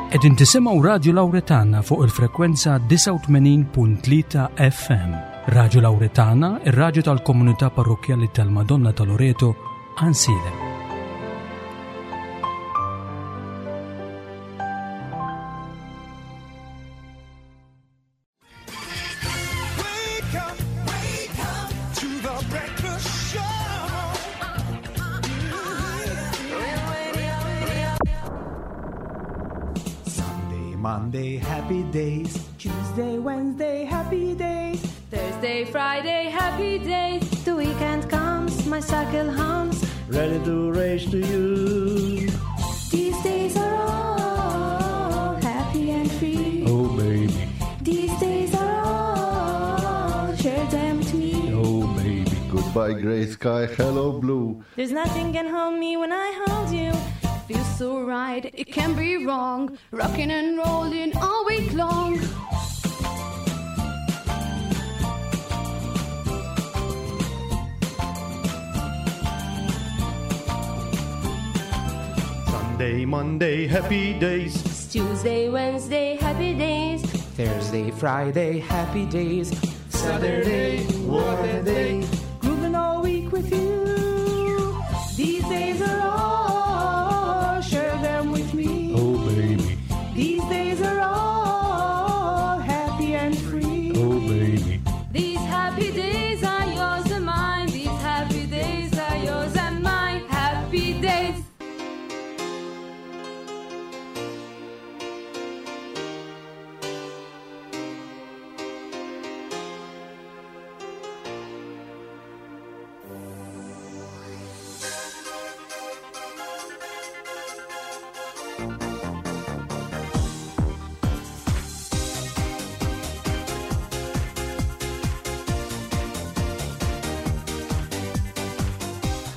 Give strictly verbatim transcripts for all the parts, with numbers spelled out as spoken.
Qegħdin tisimgħu Radio Lauretana fuq il-frekwenza disgħa u tmenin punt tlieta F M. Radio Lauretana, ir-radju tal-komunità parrokkjali tal-Madonna ta' Loreto, Għajnsielem. Wake up, wake up to the breakfast show. Sunday, Monday, happy days. Tuesday, Wednesday, happy days. Thursday, Friday, happy days. The weekend comes, my cycle hums. Ready to race to you. These days are all happy and free. Oh, baby. These days are all, share them with me. Oh, baby. Goodbye, gray sky, hello, blue. There's nothing can hold me when I hold you. Feels so right, it can be wrong. Rocking and rolling all week long. Sunday, Monday, happy days. Tuesday, Wednesday, happy days. Thursday, Friday, happy days. Saturday, what a day. Grooving all week with you. These days are all, share them with me. Oh, baby. These days are all happy and free. Oh, baby. These happy days are yours and mine. These happy days are yours and mine. Happy days.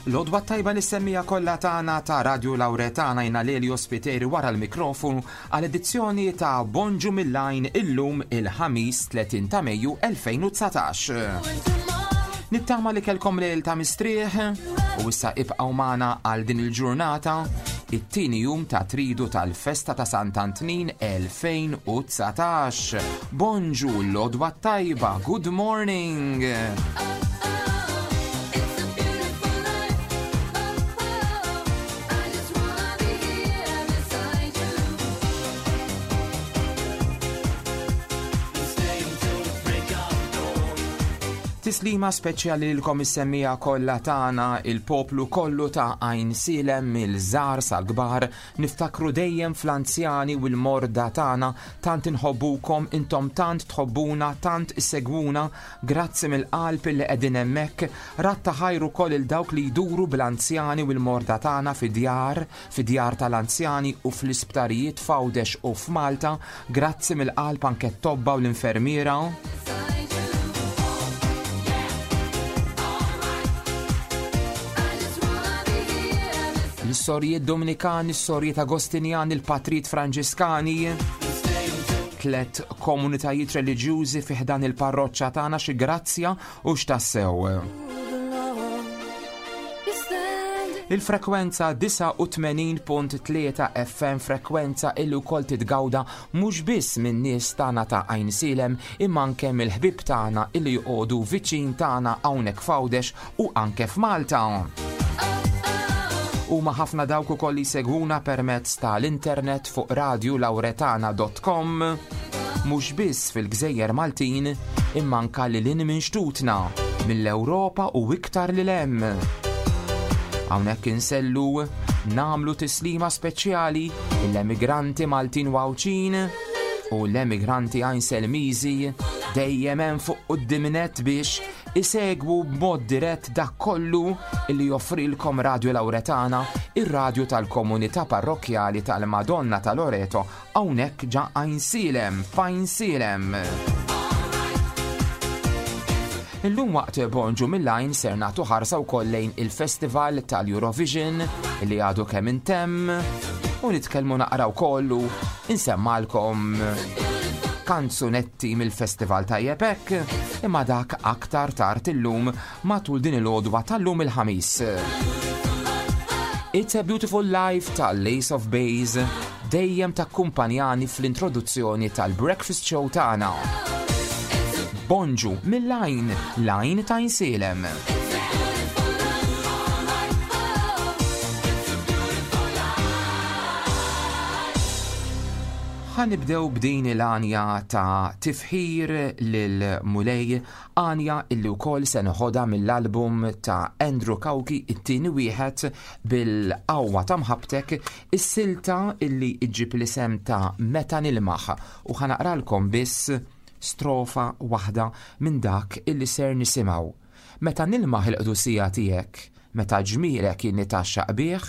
L-għodwa t-tajba lis-semmiegħa kollha tagħna ta' Radio Lauretana. Jiena Lelio Spiteri wara l-mikrofonu għal edizzjoni ta' Bonġu mill-Għajn illum il-Ħamis tletin ta' Mejju elfejn u dsatax. Nittama li kellkom lejl ta' mistrieħ u issa ibqgħu magħna għal din il-ġurnata, it-tieni jum ta' tridu tal-festa ta' Sant'Antnin elfejn u dsatax. Bonġu, l-għodwa t-tajba, good morning! It's a beautiful life. Oh, oh, I just wanna be here beside you. Tislima speċjali lilkom is-semmiegħa kollha tagħna, il-poplu kollu ta' Għajnsielem, mill-żgħar sal-kbar, niftakru dejjem fl-anzjani u l-morda tagħna. Tant inħobbukom, intom tant tħobbuna, tant issegwuna, grazzi mill-qalb li qegħdin hemmhekk. Radd ta' ħajr ukoll lil dawk li jduru bl-anzjani u l-morda tagħna fi-djar, fi-djar tal-anzjani u fl-isptarijiet f'Għawdex u f'Malta. Grazzi mill-qalb anke t-tobba u l-infermiera. Beside you. I just wanna be here beside L-sorijiet Dominikani, s-sorijiet Agostinjani, il-patrijiet Franġiskani, tlet komunitajiet reliġjużi fi ħdan il-parroċċa tagħna, xi grazzja u x'tassew. You stand Il-frekwenza disgħa u tmenin punt tlieta F M, frekwenza illi wkoll titgawda mhux biss minn nies tagħna ta' Għajnsielem imma anke mill-ħbieb tagħna illi joqogħdu viċin tagħna hawnhekk f'Għawdex u anke f'Malta. Huma ħafna dawk ukoll li jsegwuna permezz tal-internet fuq radiolauretana punt com, mhux biss fil-Gżejjer Maltin imma anke lil hinn minn xtutna, mill-Ewropa u iktar lil hemm. Hawnhekk insellu nagħmlu tislima speċjali l-emigranti Maltin u Għawdxin u l-emigranti Għajnselmiżi dejjem hemm fuq quddiem nett biex isegwu b'mod dirett dak kollu li joffrilkom Radio Lauretana, ir-radju tal-komunità parrokkjali tal-Madonna ta' Loreto hawnhekk ġa Għajnsielem, f'Għajnsielem. Illum waqt Bonġu mill-Għajn ser nagħtu ħarsa wkoll lejn il-Festival tal-Eurovision li għadu kemm intemm u nitkellmu naqra wkoll u insemmalkom kanzunetti mill-festival, tajjeb hekk, imma dak aktar tard illum matul din il-għodwa tal-lum il-Ħamis. It's a Beautiful Life tal-Ace of Base, dejjem takkumpanjani fl-introduzzjoni tal-Breakfast Show tagħna. Bonġu mill-Għajn, l-Għajn ta' Għajnsielem. Ħa nibdew b'din il-għanja ta' tifħir lil Mulej, għanja illi wkoll se noħodha mill-album ta' Andrew Cauchi, it-tieni wieħed, bil-qawwa ta' mħabbtek, is-silta illi iġġib l-isem ta' Meta Nilmaħ, u ħa naqralkom biss strofa waħda minn dak illi ser nisimgħu. Meta nilmaħ il-qdusija tiegħek, meta ġmielek inni taxxaq bih,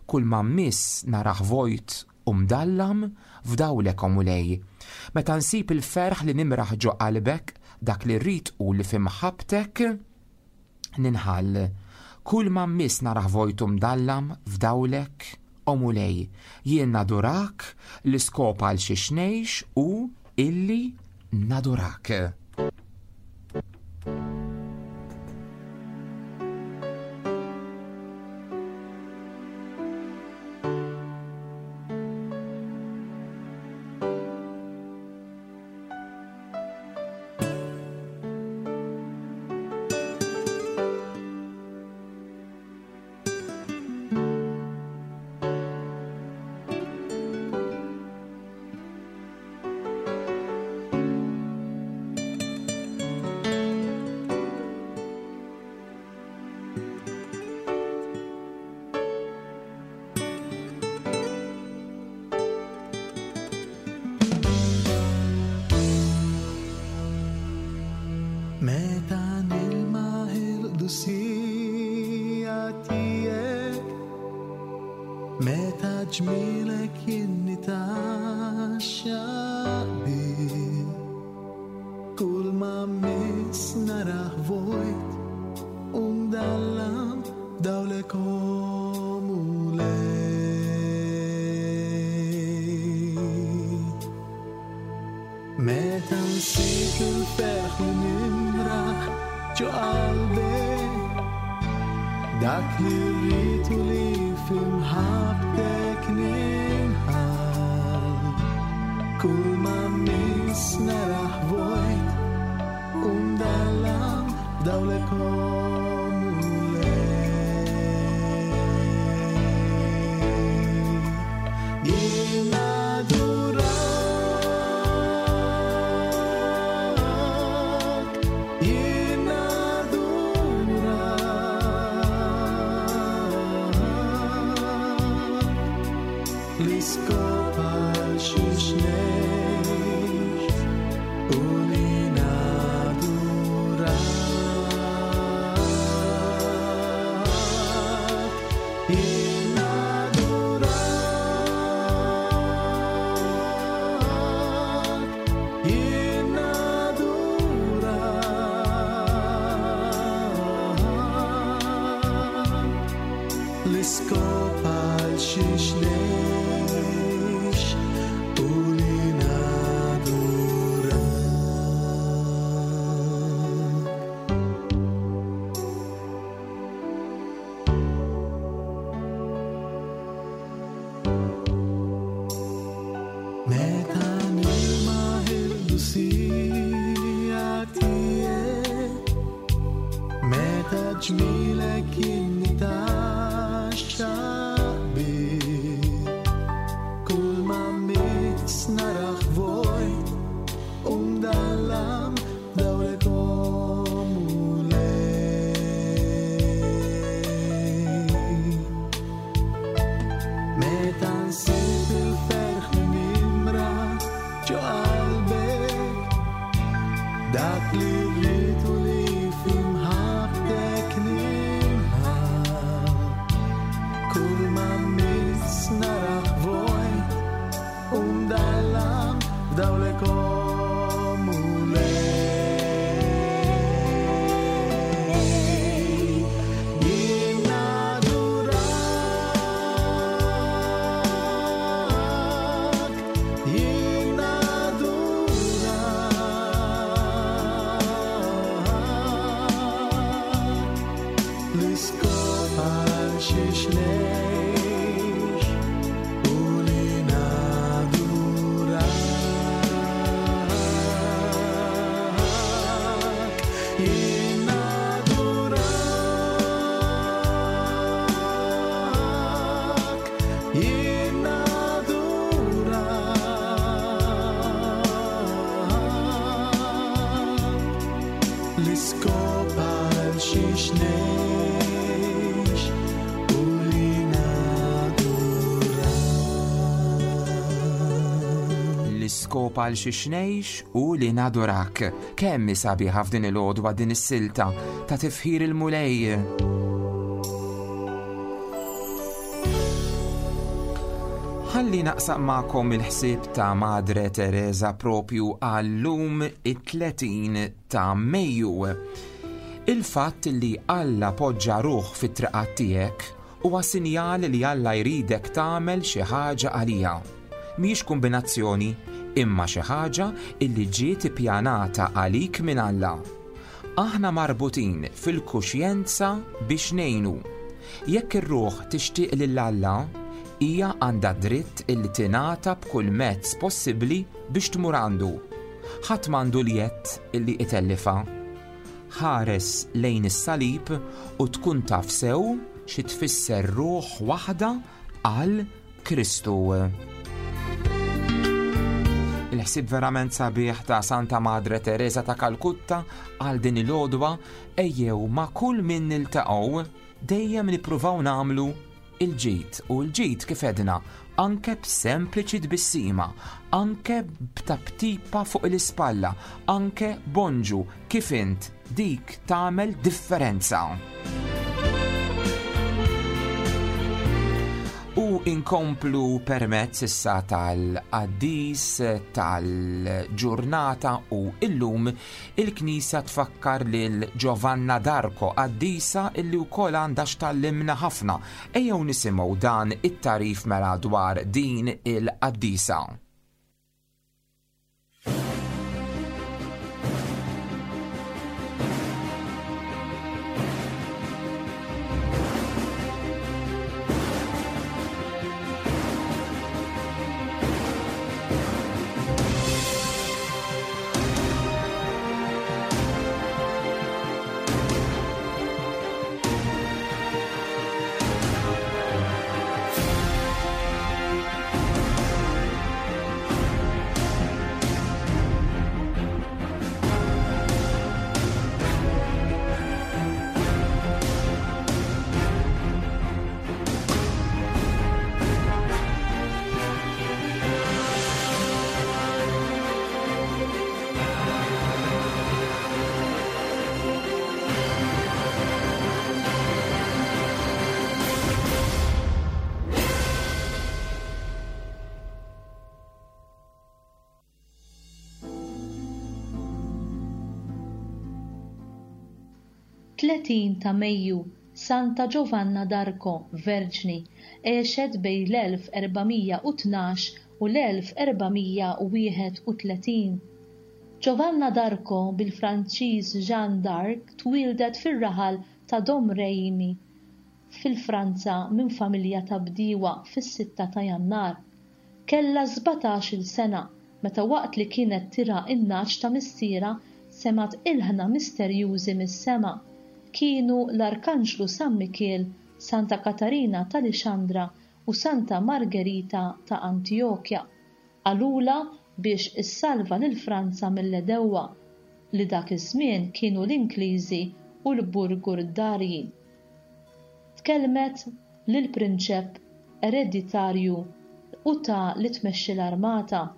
kull ma mmiss naraħ vojt u mdallam f'dawlek o Mulej. Meta nsib il-ferħ li nimraħ ġo qalbek, dak li rrid u li fi mħabbtek ninħall. Kull ma mmiss naraħ vojt u mdallam f'dawlek o Mulej. Jien nadurak, l-iskop għal xiex ngħix u illi nadurak. Ġmielek inni taxxaq bih, kull ma miss naraħ vojt u mdallam dawlek o Mulej. Meta nsib il-ferħ li nimraħ ġo qalbek, dak li rrid u li fi mħabbtek ninħall. Kull ma miss naraħ vojt u mdallam dawlek o Mulej. Jien nadurak, jien nadurak, l-iskop għal xiex ngħix u li nadurak. Jien nadurak, jien nadurak, l-iskop għal xiex ngħix u li nadurak. Meta nilmaħ il-qdusija tiegħek, meta ġmielek inni taxxaq bih, kull ma miss naraħ vojt u mdallam dawlek o Mulej. Meta nsib il-ferħ li nimraħ ġo qalbek, dak li rrid u li fi mħabbtek ninħall. Kull ma miss naraħ vojt u mdallam dawlek o Mulej. Jien nadurak, jien nadurak, l-iskop għal xiex ngħix u li nadurak. Jien nadurak. L-iskop għal xiex ngħix u li nadurak. L-iskop għal xiex ngħix u li nadurak. Kemm hi sabiħa f'din il-għodwa din is-silta ta' tifħir il-Mulej. Ħalli naqsam magħkom il-ħsieb ta' Madre Teresa propju għal-lum it-tletin ta' Mejju. Il-fatt li Alla poġġa ruħ fit-triqat tiegħek huwa sinjal li Alla jridek tagħmel xi ħaġa għalija. Mhijiex kombinazzjoni, imma xi ħaġa illi ġiet ippjanata għalik minn Alla. Aħna marbutin fil-kuxjenza biex ngħinu. Jekk ir-ruħ tixtieq lil Alla, hija għandha dritt illi tingħata b'kull mezz possibbli biex tmur għandu. Ħadd m'għandu l-jedd illi itellifa. Ħares lejn is-salib u tkun taf sew xi tfisser ruħ waħda għal Kristu. Il-ħsieb verament sabiħ ta' Santa Madre Teresa ta' Kalkutta għal din il-għodwa, ejjew ma' kull min niltaqgħu dejjem nippruvaw nagħmlu il-ġid, u l-ġid kif edna anke b'sempliċi tbissima, anke b'tabtipa fuq l-ispalla, anke bonġu kif int, dik tagħmel differenza. U inkomplu permezz issa tal-qaddis tal-ġurnata, u illum il-Knisja tfakkar lil Giovanna d'Arco, qaddisa illi wkoll għandha x'tallimna ħafna. Ejjew nisimgħu dan it-tarif mela dwar din il-qaddisa. Tletin ta' Mejju, Santa Giovanna d'Arco, Verġni, għexet bejn l-elf erbamija u tnax u l-elf erbamija u wieħed u tletin. Giovanna d'Arco, bil-Franċiż Jeanne d'Arc, twieldet fir-raħal ta' Domremy fil-Franza minn familja ta' bdiewa fis-sitta ta' Jannar. Kellha sbatax-il sena meta waqt li kienet tira n-naċ ta' missiera semgħet ilħna misterjużi mis-sema. Kienu l-Arkanġlu San Mikiel, Santa Katarina ta' Lixandra u Santa Margherita ta' Antiochia. Qalula biex issalva lil Franza mill-edewwa li dak iż-żmien kienu l-Ingliżi u l-Burgundarji. Tkellmet lill-prinċep ereditarju u ta' li tmexxi l-armata.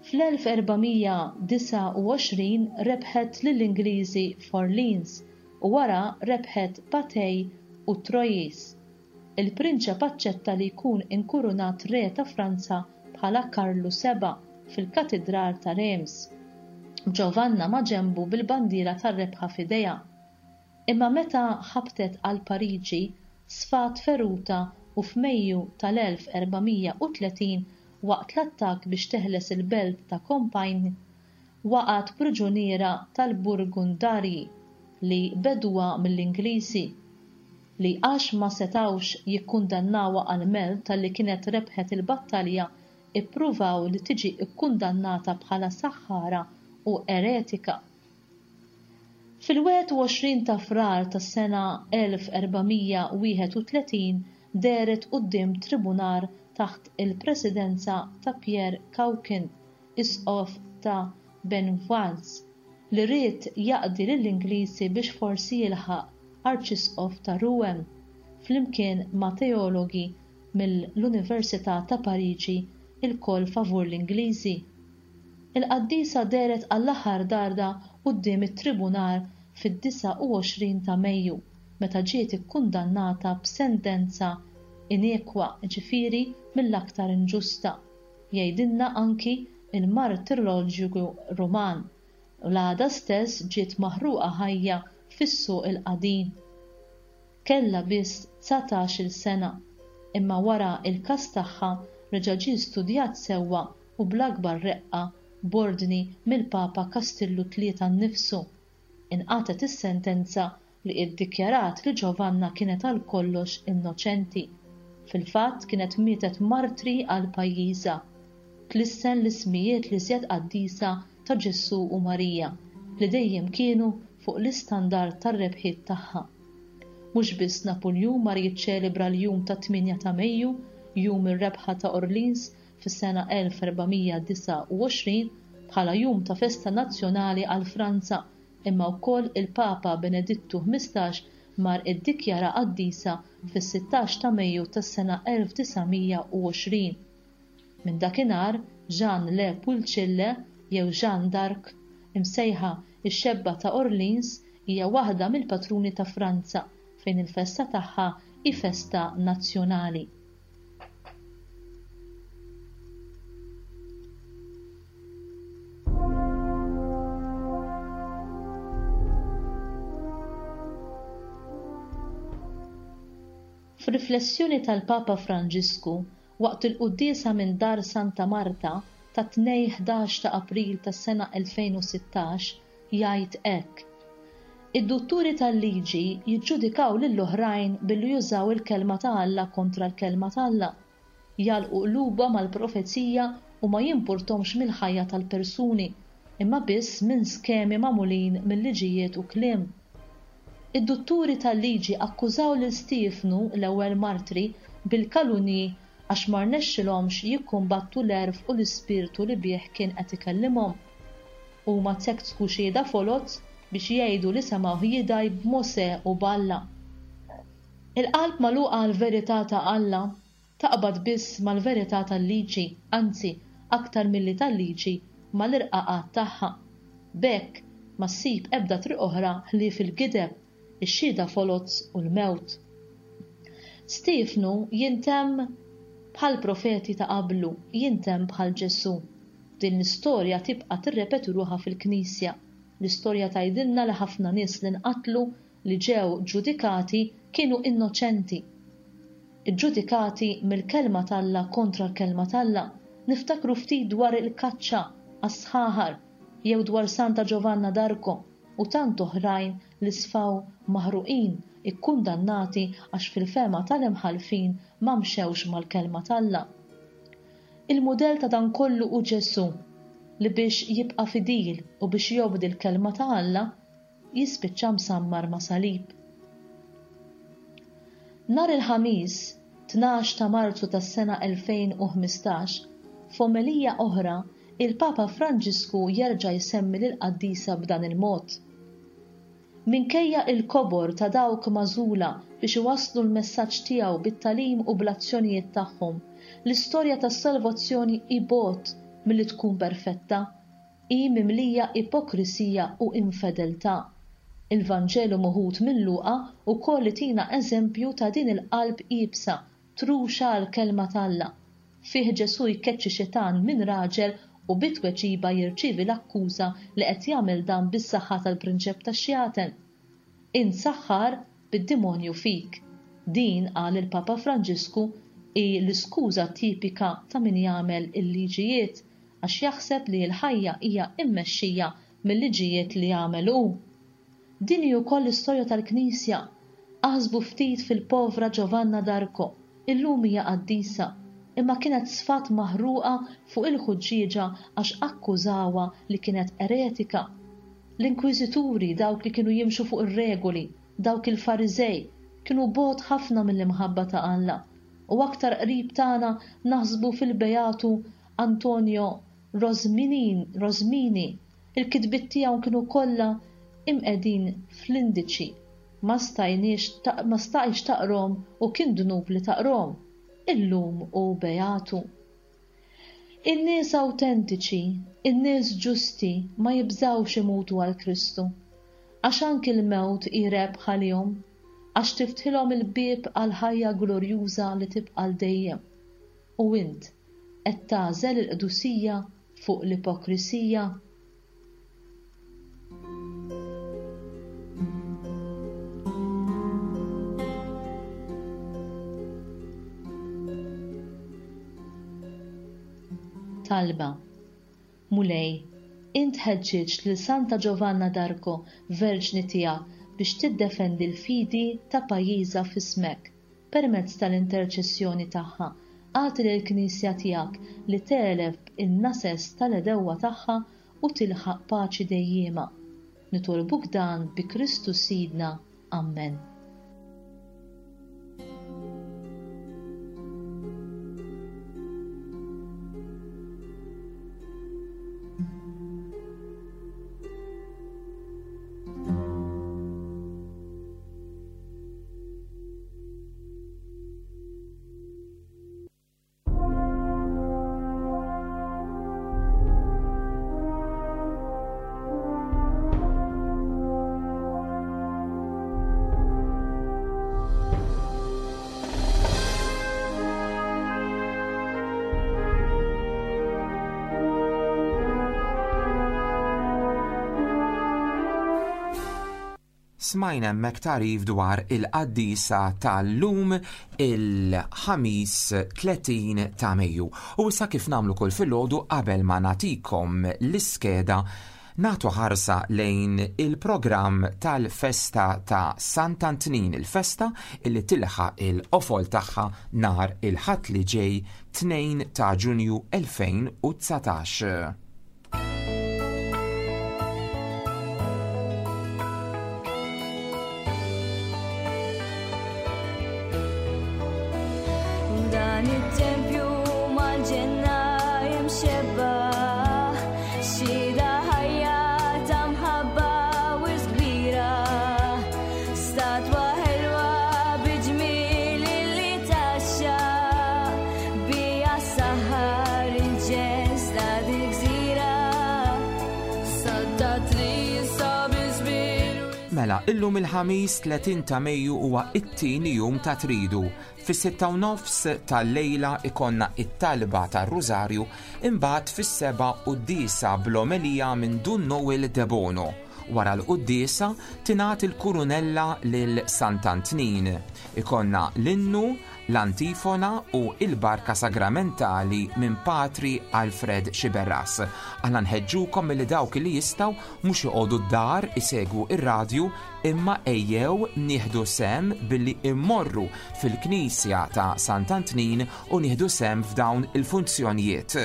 Fl-elf erbamija disgħa u għoxrin rebħet lill-Ingliżi f'Orleans u wara rebħet Patay u Troyes. Il-prinċep aċċetta li jkun inkurunat re ta' Franza bħala Karlu seba' fil-Katidral ta' Reims. Giovanna ma' ġenbu bil-bandiera tar-rebħa f'idejha. Imma meta ħabtet għal Pariġi, sfat feruta u f'Mejju tal-elf erbamija u tletin waqt l-attakk biex teħles il-belt ta' Compiègne, waqgħet priġuniera tal-Burgundarji li bedwa mill-Ingliżi li għax ma setgħux jikkundannawha għall-mewt talli kienet rebħet il-battalja ippruvaw li tiġi kkundannata bħala saħħara u eretika. Fil-wieħed u għoxrin ta' Frar tas-sena elf erbamija wieħed u tletin dehret quddiem tribunar taħt il-presidenza ta' Pierre Cauchon, isqof ta' Beauvais, li ried jaqdi lill-Ingliżi biex forsi jilħaq arċisqof ta' Rouen, flimkien ma' teologi mill-Università ta' Pariġi ilkoll favur l-Ingliżi. Il-qaddisa dehret għall-aħħar darba quddiem it-tribunar fid-disgħa u għoxrin ta' Mejju meta ġiet ikkundannata b'sentenza inekwa, ġifieri mill-aktar inġusta. Jgħidilna anki il-martiroloġju Ruman. U l-għada stess ġiet maħruqa ħajja fis-suq il-qadim. Kellha biss dsatax-il sena, imma wara il-każ tagħha reġa' ġie studjat sewwa u bl-akbar reqqa b'ordni mill-Papa Kastillu tlieta nnifsu. Inqatgħet is-sentenza li iddikjarat li Giovanna kienet għal kollox innoċenti. Fil-fatt kienet mietet martri għal pajjiżha. Tlissen l-ismijiet li żjed qaddisa ta' Ġesù u Marija li dejjem kienu fuq l-istandard tar-rebħiet tagħha. Mhux biss Napuljun mar jiċċelebra l-jum ta' tmienja ta' Mejju, jum ir-rebħa ta' Orleans fis-sena elf erbamija disgħa u għoxrin bħala jum ta' festa nazzjonali għal Franza, imma wkoll il-Papa Benedittu ħmistax mar iddikjara qaddisa fis-sittax ta' Mejju tas-sena elf disa' mija u għoxrin. Minn dakinhar Jeanne Le Pulcille jew Jeanne d'Arc, imsejħa ix-xebba ta' Orleans, hija waħda mill-patruni ta' Franza fejn il-festa tagħha hi festa nazzjonali. F'riflessjoni tal-Papa Franġisku waqt il-quddiesa minn Dar Santa Marta ta' tnejn ħdax ta' April tas-sena elfejn u sittax jgħid hekk: Id-dutturi tal-liġi jiġġudikaw lill-oħrajn billi jużaw il-kelma ta' Alla kontra l-kelma ta' Alla. Jagħlqu qlubhom għall-profezija u ma jimpurtomx mill-ħajja tal-persuni, imma biss minn skemi magħmulin mill-liġijiet u kliem. Id-dutturi tal-liġi akkużaw lil Stiefnu, l-ewwel martri, bil-kalunji għax ma rnexxilhomx jikkumbattu l-għerf u l-ispirtu li bih kien qed ikellimhom. Huma tsektku xhieda foloz biex jgħidu li semgħuh jidgħi b'Mosè u b'Alla. Il-qalb magħluqa għall-verità ta' Alla taqbad biss mal-verità tal-liġi, anzi aktar milli tal-liġi mal-irqaqat tagħha. B'hekk ma ssib ebda triq oħra ħlief il-gideb, ix-xhieda foloz u l-mewt. Stiefnu jintemm bħal profeti ta' qablu, jintemm bħal Ġesù. Din l-istorja tibqa' tirrepeti ruħha fil-Knisja. L-istorja tgħidilna li ħafna nies li nqatlu li ġew ġudikati kienu innoċenti. Iġġudikati mill-kelma t'Alla kontra l-kelma t'Alla. Niftakru ftit dwar il-kaċċa għas-sħaħar jew dwar Santa Giovanna d'Arco u tant oħrajn li sfaw maħruqin, ikkundannati għax fil-fema tal-imħallfin ma mxewx mal-kelma t'Alla. Il-mudell ta' dan kollu hu Ġesù li biex jibqa' fidil u biex jobdi l-kelma ta' Alla jispiċċa msammar ma' salib. Nhar il-Ħamis, tnax ta' Marzu tas-sena elfejn u ħmistax, f'omelija oħra, il-Papa Franġisku jerġa' jsemmi lill-qaddisa b'dan il-mod. Minkejja il-kobor ta' dawk magħżula biex iwasslu l-messaġġ tiegħu bit-tagħlim u bl-azzjonijiet tagħhom, l-istorja tas-salvazzjoni hi bogħod milli tkun perfetta, hi mimlija ipokrisija u infedeltà. Il-Vanġelu moħud minn Luqa wkoll itina eżempju ta' din il-qalb iebsa, truxa għall-kelma t'Alla. Fih Ġesù jkeċċi xitan minn raġel u bitweġiba jirċievi l-akkuża li qed jagħmel dan bis-saħħa tal-prinċep tax-xjaten. Int saħħar bid-demonju fik. Din, qal il-Papa Franġisku, hi l-iskuża tipika ta' min jagħmel il-liġijiet għax jaħseb li l-ħajja hija immexxija mill-liġijiet li jagħmel hu. Din hi wkoll l-istorja tal-Knisja. Aħsbu ftit fil-povra Giovanna d'Arco, illum hija qaddisa, imma kienet sfat maħruqa fuq il-ħuġġieġa għax akkużawha li kienet eretika. L-inkwiżituri, dawk li kienu jimxu fuq ir-regoli, dawk il-Fariżej, kienu bogħod ħafna mill-imħabba ta' Alla u aktar qrib tagħna naħsbu fil-Beatu Antonio Rosminin, Rosmini. Il-kitbiet tiegħu kienu kollha imqegħdin fl-indiċi. Ma stajniex ma stajx taqrom u kien dnub li taqrom. Illum hu Beatu. In-nies awtentiċi, in-nies ġusti ma jibżgħux imutu għal Kristu. Għax anki l-mewt hi rebħa għalihom, għax tiftħilhom il-bieb għal ħajja glorjuża li tibqa' għal dejjem. U int qed tagħżel il-qdusija fuq l-ipokrisija? Talba. Mulej, int ħeġġiġt lil Santa Giovanna d'Arco, verġni tiegħek, biex tiddefendi l-fidi ta' pajjiżha f'ismek permezz tal-interċessjoni tagħha. Agħti lill-Knisja tiegħek li tegħleb in-nases tal-għedewwa tagħha u tilħaq paċi dejjiema. Nitolbuk dan bi Kristu Sidna. Amen. Smajna hemmhekk tagħrif dwar il-qaddisa tal-lum il-ħamis tletin ta' Mejju. U issa kif nagħmlu kull filgħodu qabel ma nagħtikom l-iskeda, nagħtu ħarsa lejn il-programm tal-festa ta' Sant'Antnin, il-festa illi tilħaq il-qofol tagħha nhar il-Ħadd li ġej tnejn ta' Ġunju elfejn u dsatax. Dan it-tempju mal-ġenna jimxebba, xhieda ħajja ta' mħabba u kbira, statwa ħelwa bi ġmiel li taxxa, bija saħar il-ġens ta' dil-gżira. Santa Trisa bi żmien Mela, illum il-ħamis tletin ta' Mejju huwa it-tieni jum ta' Tridu. Fis-sitta u nofs tal-lejla ikonna it-talba tar-Rużarju, imbagħad fis-seba' quddiesa bl-omelija minn Dun Noel Debono. Wara l-quddiesa tingħat il-kurunella lil Sant'Antnin. Ikonna l-innu, l-antifona u il-barka sagramentali minn Patri Alfred Xiberras. Aħna nħeġġukom milli dawk li jistgħu mhux joqogħdu d-dar isegwu ir-radju, imma ejjew nieħdu sem billi immorru fil-Knisja ta' Sant'Antnin u nieħdu sem f'dawn il-funzjonijiet.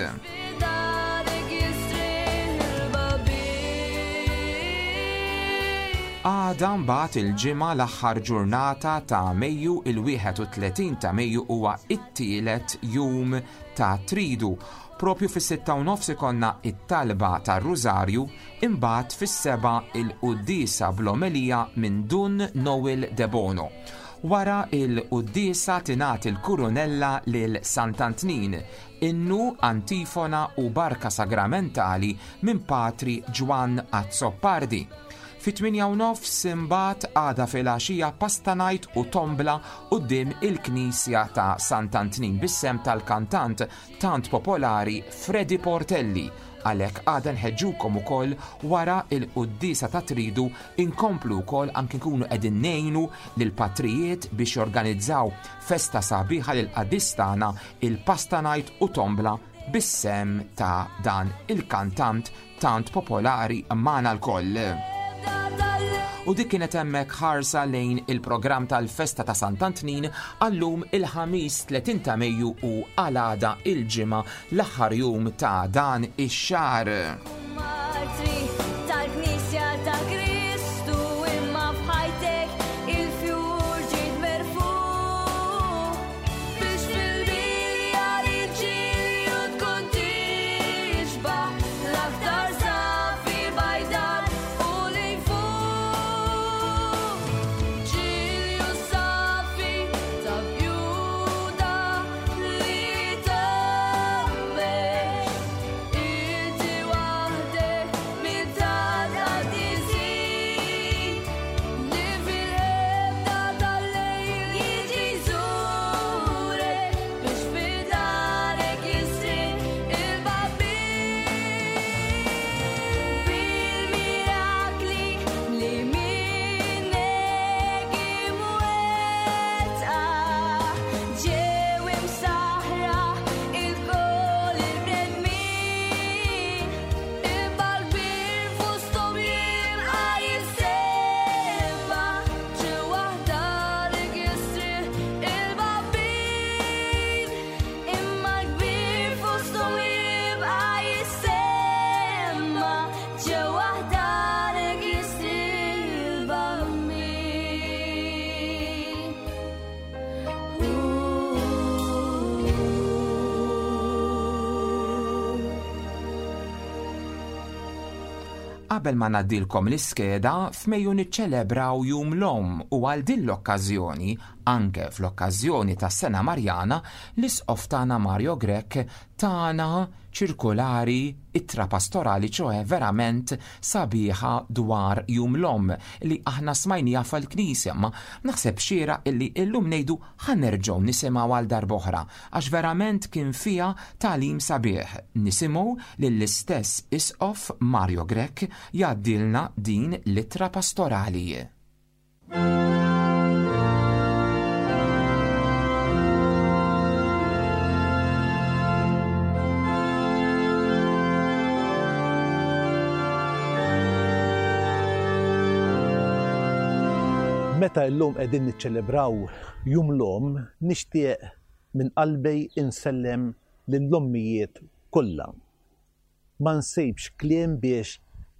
Għada mbagħad il-ġimgħa l-aħħar ġurnata ta' Mejju, il-wieħed u tletin ta' Mejju huwa it-tielet jum ta' Tridu. Propju fis-sitta u nofs ikonna it-talba tar-Rużarju, imbagħad fis-seba' il-quddiesa bl-omelija minn Dun Noel Debono. Wara il-quddiesa tingħat il-kurunella lil Sant'Antnin, innu, antifona u barka sagramentali minn Patri Ġwann Azzopardi. Fit-tmienja u nofs imbagħad għada filgħaxija pasta night u tombla quddiem il-Knisja ta' Sant'Antnin bis-sem tal-kantant tant popolari Freddy Portelli. Għalhekk għada nħeġġukom ukoll wara il-quddiesa ta' Tridu inkomplu wkoll anke nkunu qegħdin ngħinu lill-patrijiet biex jorganizzaw festa sabiħa lil qaddis tagħna, il-pasta night u tombla bis-sem ta' dan il-kantant tant popolari magħna lkoll. U dik kienet hemmhekk ħarsa lejn il-programm tal-festa ta' Sant'Antnin għallum il-ħamis tletin ta' Mejju u għal-għada il-ġimgħa l-aħħar jum ta' dan ix-xahar. Matri tal-Knisja ta' Kristu, imma f'ħajtek il-fjur ġiet Qabel ma ngħaddilkom l-iskeda, f'Mejju niċċelebraw Jum l-Omm u għal din l-okkażjoni, anke fl-okkażjoni tas-Sena Marjana, l-Isqof tagħna Mario Grech tana ċirkulari, ittra pastorali, ċoe verament sabiħa dwar Jum l-Omm li aħna smajnija fil-Knisja, ma naħseb xieraq illi illum ngħidu ħa nerġgħu nisimgħu għal darb'oħra għax verament kien fiha tagħlim sabiħ. Nisimgħu lill-istess Isqof Mario Grech jgħaddilna din l-ittra pastorali. Meta llum qegħdin niċċelebraw Jum l-Omm, nixtieq minn qalbi insellem lill-ommijiet kollha. Ma nsibx kliem biex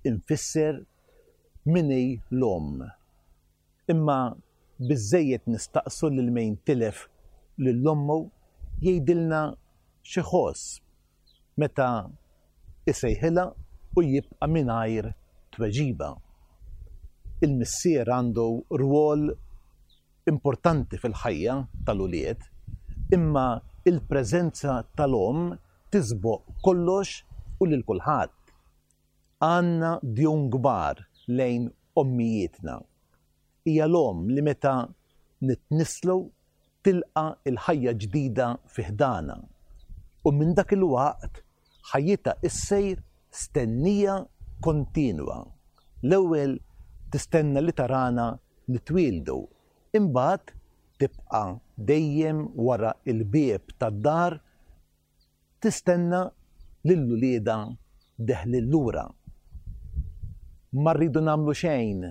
infisser min hi l-omm. Imma biżżejjed nistaqsu lil min tilef lil ommu jgħidilna xi ħoss meta isejħilha u jibqa' mingħajr tweġiba. Il-missier għandu rwol importanti fil-ħajja tal-ulied, imma il-preżenza tal-omm tisboq kollox u lil kulħadd. Għandna djun kbar lejn ommijietna. Hija l-omm li meta nitnislu tilqa il-ħajja ġdida fi ħdana. U minn dak il-waqt ħajjitha issejr stennija kontinwa. L-ewwel tistenna li tarana nitwieldu, imbagħad tibqa' dejjem wara il-bieb tad-dar tistenna lil uliedha deħlin lura. Ma rridu nagħmlu xejn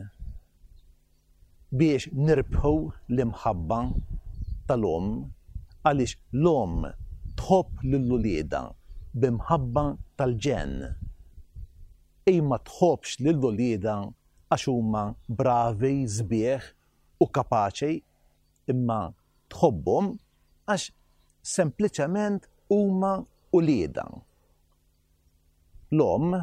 biex nirbħu l-imħabba tal-omm, għaliex l-omm tħobb lil uliedha b'imħabba tal-ġenn. Ej ma tħobbx lil uliedha għax huma bravi, sbieħ u kapaċi, imma tħobbhom għax sempliċement huma uliedha. L-omm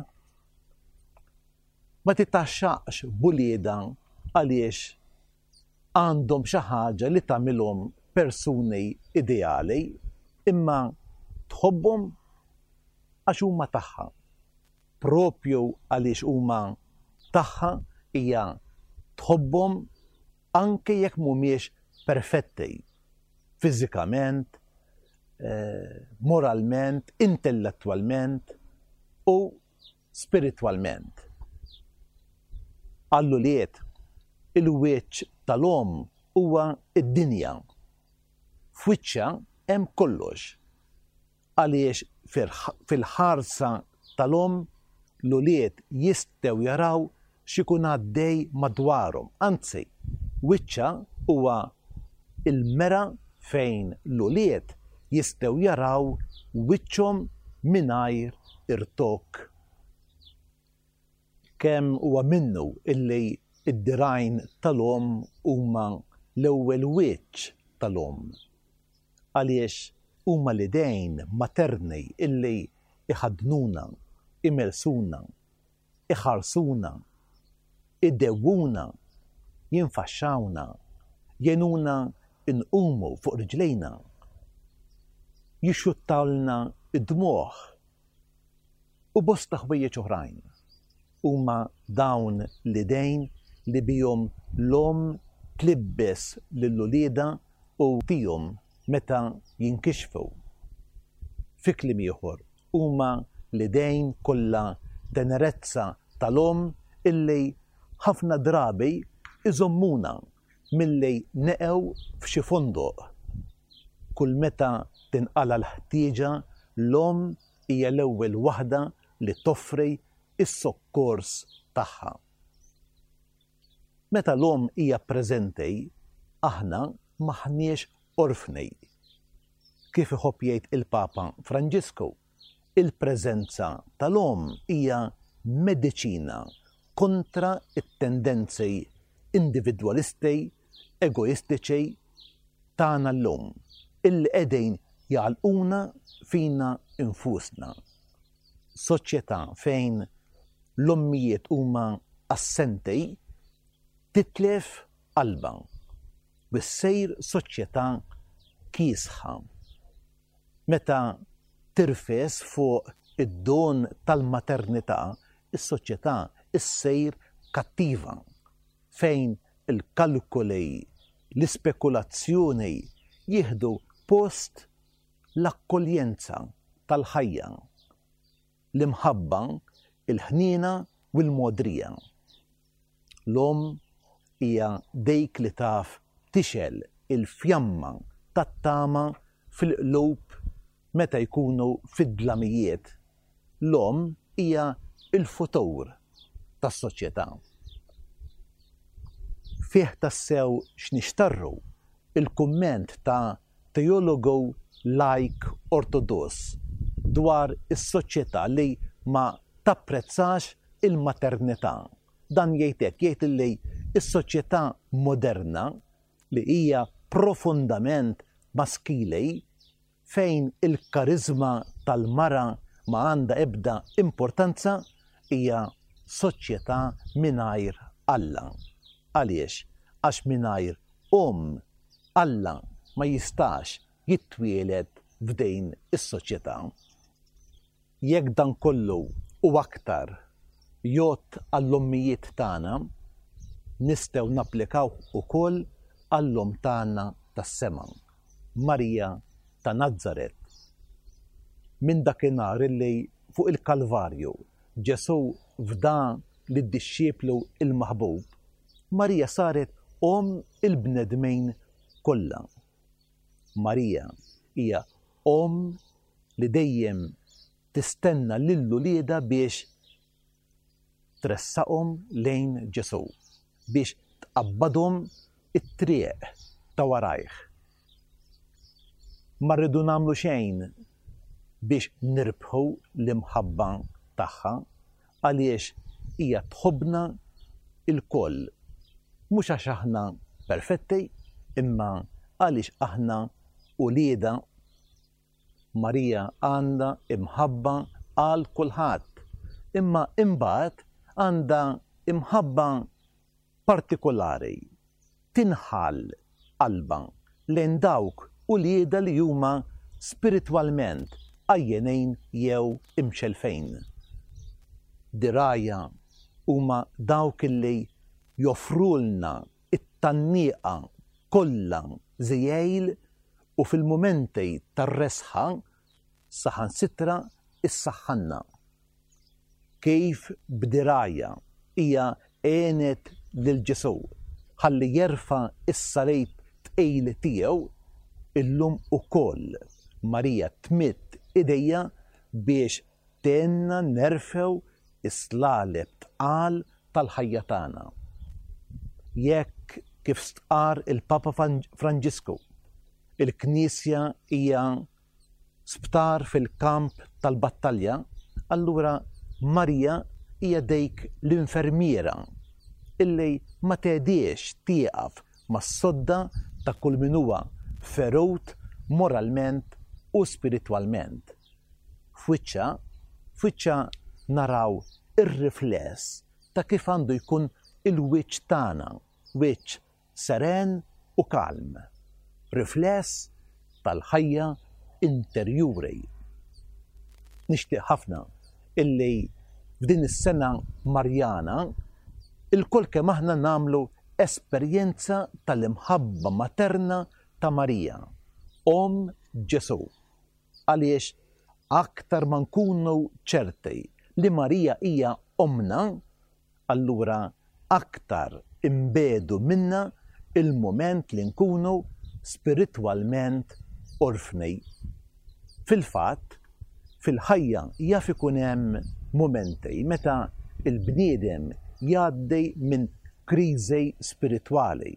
ma titaxxaqx b'uliedha għaliex għandhom xi ħaġa li tagħmilhom persuni ideali, imma tħobbhom għax huma tagħha. Propju għaliex huma tagħha hija tħobbhom anke jekk mhumiex perfetti fiżikament, eh, moralment, intellettwalment u spiritwalment. Għall-ulied, il-wiċċ tal-omm huwa id-dinja. F'wiċċha hemm kollox. Għaliex fil-ħarsa tal-omm l-ulied jistgħu jaraw x'ikun għaddej madwarhom. Anzi, wiċċha huwa il-mera fejn l-ulied jistgħu jaraw wiċċhom mingħajr irtokk. Kemm huwa minnu illi id-dirgħajn tal-omm huma l-ewwel wiċċ tal-omm. Għaliex huma l-idejn materni illi iħaddnuna, imelsuna, iħarsuna, idewwuna, jinfaxxawna, jenuna nqumu fuq riġlejna, jixxuttawlna id-dmugħ u bosta ħwejjeġ oħrajn. Huma dawn l-idejn li bihom l-omm tlibbes lil uliedha u tihom meta jinkixfu. Fi kliem ieħor, huma l-idejn kollha tenerezza tal-omm illi ħafna drabi iżommuna milli neqgħu f'xi fondoq. Kull meta tinqala l-ħtieġa, l-omm hija l-ewwel waħda li toffri s-sokkors tagħha. Meta l-omm hija preżenti, aħna m'aħniex orfni. Kif iħobb jgħid il-Papa Franġisku, il-preżenza tal-omm hija mediċina kontra it-tendenzi individwalisti, egoistiċi tagħna llum, illi qegħdin jagħlquna fina infusna. Soċjetà fejn l-ommijiet huma assenti, titlef qalbha u ssir soċjetà kiesħa. Meta tirfes fuq id-don tal-maternità, is-soċjetà issir kattiva fejn il-kalkoli, l-ispekulazzjoni jieħdu post l-akkoljenza tal-ħajja, l-imħabba, il-ħniena u l-mogħdrija. L-omm hija dik li taf tixgħel il-fjamma tat-tama fil-qlub meta jkunu fid-dlamijiet. L-omm hija l-futur tas-soċjetà. Fih tassew x'nixtarru il-kumment ta' teologu lajk ortodoss dwar is-soċjetà li ma tapprezzax il-maternità. Dan jgħid hekk, jgħid li s-soċjetà moderna li hija profondament maskili fejn il-kariżma tal-mara ma għandha ebda importanza hija soċjetà mingħajr Alla. Għaliex? Għax mingħajr omm Alla ma jistax jitwieled f'din is-soċjetà. Jekk dan kollu u aktar jgħodd għall-ommijiet tagħna, nistgħu napplikaw ukoll għall-omm tagħna tas-sema, Marija ta' Nazaret. Minn dakinhar illi fuq il-Kalvarju Ġesù fda lid-dixxiplu il-maħbub, Marija saret omm il-bnedmin kollha. Marija hija omm li dejjem tistenna lil uliedha biex tressaqhom lejn Ġesù, biex tqabbadhom it-triq ta' warajh. Ma rridu nagħmlu xejn biex nirbħu l-imħabba tagħha għaliex hija tħobbna lkoll, mhux għax aħna perfetti, imma għaliex aħna uliedha. Marija għandha imħabba għal kulħadd, imma imbagħad għandha imħabba partikolari, tinħall qalbha lejn dawk uliedha li huma spiritwalment għajjenin jew imxelfejn. Dirgħajha huma dawk illi joffrulna it-tgħanniqa kollha żiegħil u fil-mumenti tar-resħa saħansitra issaħħanna. Kif b'dirgħajha hija għenet lil Ġesù ħalli jerfa' s-salib tqil tiegħu, illum ukoll Marija tmidd idejha biex tgħinna nerfgħu is-slaleb tqal tal-ħajja tagħna. Jekk kif stqar il-Papa Franġisku, il-Knisja hija sptar fil-kamp tal-battalja, allura Marija hija dik l-infermiera illi ma tgħediex tieqaf mas-sodda ta' kull min huwa ferut moralment u spiritwalment. F'wiċċha, f'wiċċha naraw ir-rifless ta' kif għandu jkun il-wiċċ tagħna, wiċċ seren u kalm, rifless tal-ħajja interjuri. Nixtieq ħafna illi f'din is-sena Marjana ilkoll kemm aħna nagħmlu esperjenza tal-imħabba materna ta' Marija, omm Ġesù. Għaliex aktar ma nkunu ċerti li Marija hija ommna, allura aktar inbiegħdu minna il-mument li nkunu spiritwalment orfni. Fil-fatt, fil-ħajja jaf ikun hemm mumenti meta il-bniedem jgħaddi minn kriżi spiritwali,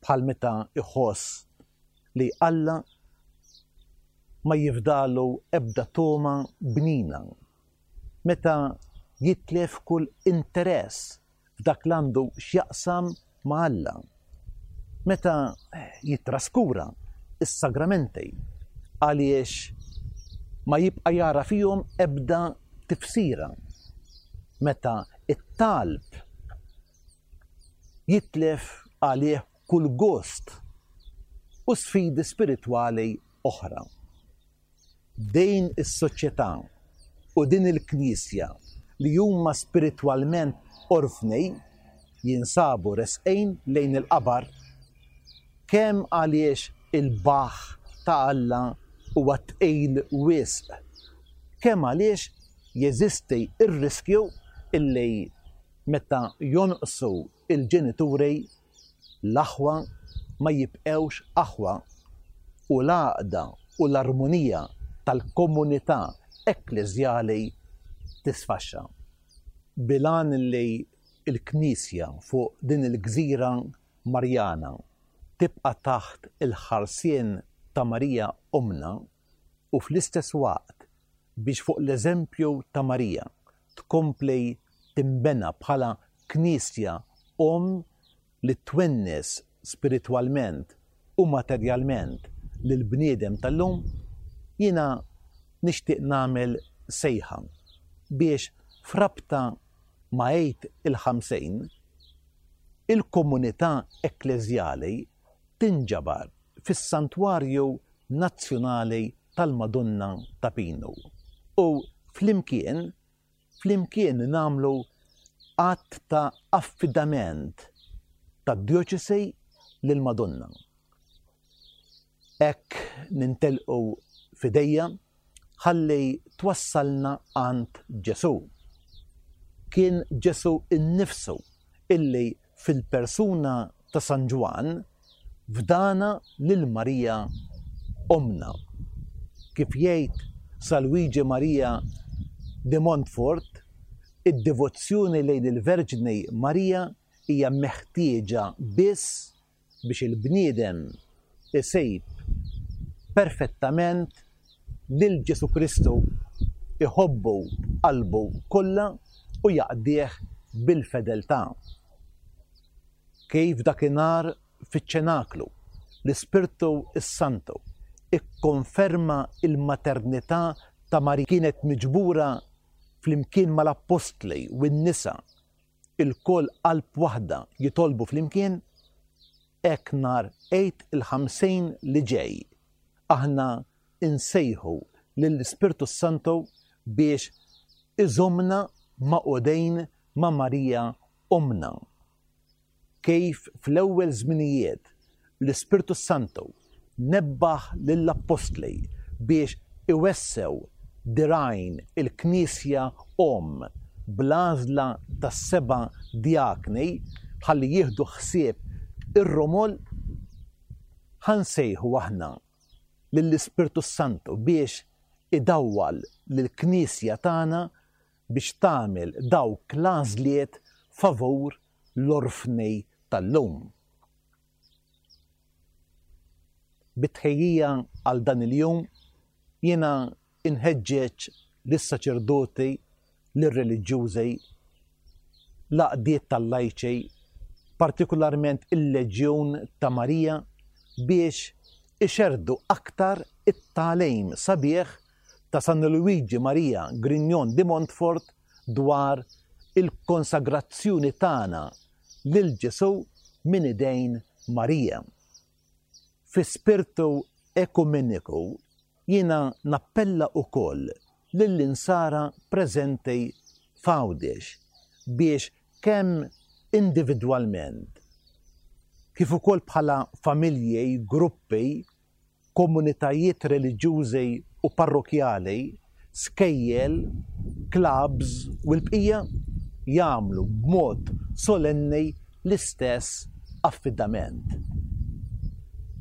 bħal meta iħoss li Alla ma jifdalu ebda togħma bnina, meta jitlef kull interess f'dak li għandu x'jaqsam ma' Alla, meta jitraskura is-sagramenti għaliex ma jibqa' jara fihom ebda tifsira, meta it-talb jitlef għalih kull gost u sfidi spiritwali oħra. Din is-soċjetà u din il-Knisja li huma spiritwalment orfni jinsabu resqejn lejn il-qabar, kemm għaliex il-baħ ta' Alla huwa tqil wisq, kemm għaliex jeżisti r-riskju illi meta jonqsu il-ġenituri l-aħwa ma jibqewx aħwa u l-għaqda u l-armonija tal-komunità ekkleżjali tisfaxxa. Bilan li l-Knisja fuq din il-gżira Marjana tibqa' taħt il-ħarsien ta' Marija Ommna u fl-istess waqt biex fuq l-eżempju ta' Marija tkompli timbena bħala Knisja Omm li twennes spiritwalment u materjalment lil bniedem tal-lum, jiena nixtieq nagħmel sejħa biex frabta ma' Għid il-Ħamsin il-komunità ekkleżjali tinġabar fis-Santwarju Nazzjonali tal-Madonna ta' Pinu u flimkien flimkien nagħmlu att ta' affidament tad-djoċesi lill-Madonna. Hekk nintelqu f'idejja ħalli twassalna għand Ġesù. Kien Ġesù innifsu illi fil-persuna ta' San Ġwann fdana lil Marija Ommna. Kif jgħid San Luigi Maria de Montfort, id-devozzjoni lejn il-Verġni Marija hija meħtieġa biss biex il-bniedem isib perfettament lil Ġesù Kristu, iħobbu b'qalbu kollha u jaqdih bil-fedeltà. Kif dakinhar fiċ-ċenaklu l-Ispirtu s-Santu ikkonferma il-maternità ta' Marija kienet miġbura flimkien mal-appostli u n-nisa ilkoll qalb waħda jitolbu flimkien, hekk nhar Għid il-Ħamsin li ġej aħna insejħu lill-Ispirtu s-Santu biex iżommna maqudejn ma' Marija Ommna. Kif fl-ewwel żminijiet l-Ispirtu s-Santu nebbaħ lill-appostli biex iwessew dirgħajn il-Knisja Omm bl-għażla tas-seba' djakni ħalli jieħdu ħsieb ir-romol, ħansejħu aħna lill-Ispirtu s-Santu biex idawwal lill-Knisja tagħna biex tagħmel dawk l-għażliet favur l-orfni tal-lum. Bit-tħejjija għal dan il-jum jiena inħeġġeġ lis-saċerdoti, lir-reliġjużi, l-għaqdiet tal-lajċi, partikolarment il-Leġjun ta' Marija, biex ixerrdu aktar it-tagħlim sabiħ ta' San Luigi Maria Grignion de Montfort dwar il-konsagrazzjoni tagħna lil Ġesù minn idejn Marija. Fi spirtu ekumeniku jiena nappella wkoll lill-insara preżenti f'Għawdex biex kemm individwalment kif ukoll bħala familji, gruppi, komunitajiet reliġjużi u parrokjali, skejjel, clubs u l-bqija jagħmlu b'mod solenni l-istess affidament.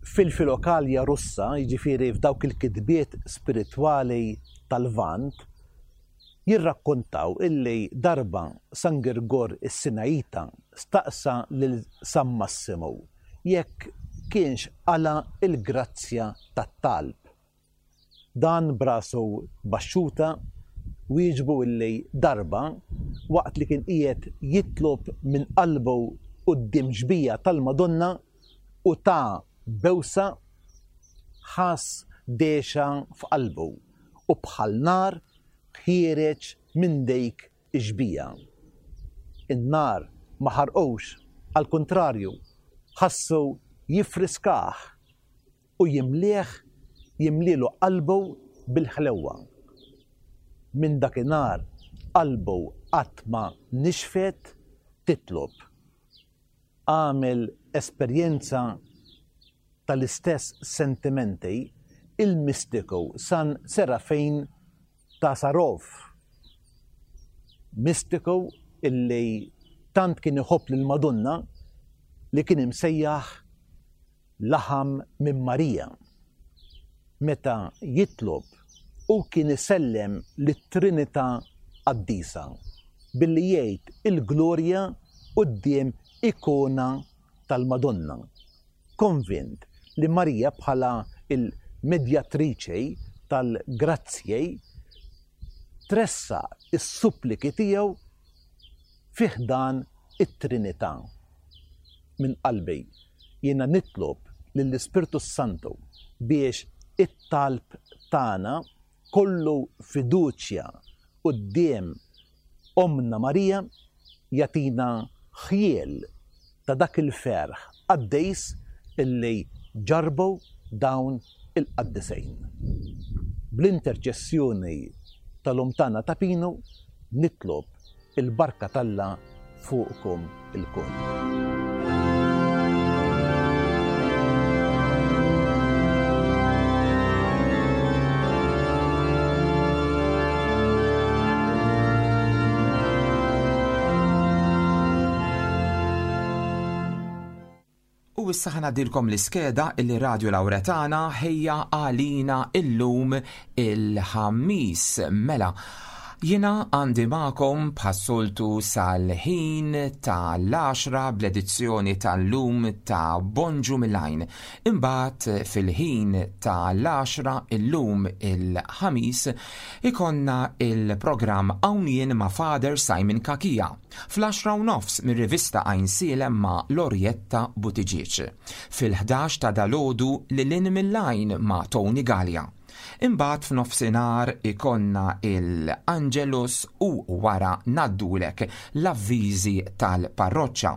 Fil-Filokalja Russa, jiġifieri f'dawk il-kitbiet spiritwali tal-Lvant, jirrakkontaw illi darba San Girgor is-Sinajita staqsa lil San Massimo jekk kienx qala il-grazzja tat-talb. Dan brasu baxxuta wieġbu illi darba waqt li kien qiegħed jitlob minn qalbu quddiem xbija tal-Madonna u ta' bewsa ħass dexa f'qalbu u bħal nar ħiereġ minn dik ix-xbieha. In-nar ma ħarqux, għall-kuntrarju, ħassu jiffriskah u jimlieh jimlilu qalbu bil-ħlewwa. Minn dakinhar qalbu qatt ma nixfet titlob. Għamel esperjenza tal-istess sentimenti il-mistiku San Serafin ta' Sarov. Mistiku illi tant kien iħobb lil Madonna li kien imsejjaħ laħam minn Marija. Meta jitlob u kien isellem lit-Trinità Qaddisa billi jgħid il-glorja quddiem ikona tal-Madonna. Konvint li Marija bħala il-medjatriċi tal-grazzji tressaq is-suppliki tiegħu fi ħdan it-Trinità. Minn qalbi jiena nitlob lill-Ispirtu Santu biex it-talb tagħna kollu fiduċja quddiem Ommna Marija jagħtina ħjiel ta' dak il-ferħ qaddis illi ġarbu dawn il-qaddisejn. Bl-interċessjoni tal-Omm tagħna Ta' Pinu nitlob il-barka t'Alla fuqkom ilkoll. U issa ħa ngħaddilkom l-iskeda illi Radio Lauretana ħejja għalina illum il-Ħamis. Mela, jiena għandi magħkom bħas-soltu sal-ħin tal-għaxra bl-edizzjoni tal-lum ta' Bonġu Mill-Għajn. Imbagħad fil-ħin tal-għaxra illum il-Ħamis ikollna il-programm Hawn Jien ma' Father Simon Cachia. Fl-għaxra u nofs mir-rivista Għajnsielem ma' Lorietta Buttigieg. Fil-ħdax ta' dalgħodu Lil Hinn Mill-Għajn ma' Tony Gallia. Imbagħad f'nofsinhar ikollna il-Angelus u wara ngħaddulek l-avviżi tal-parroċċa.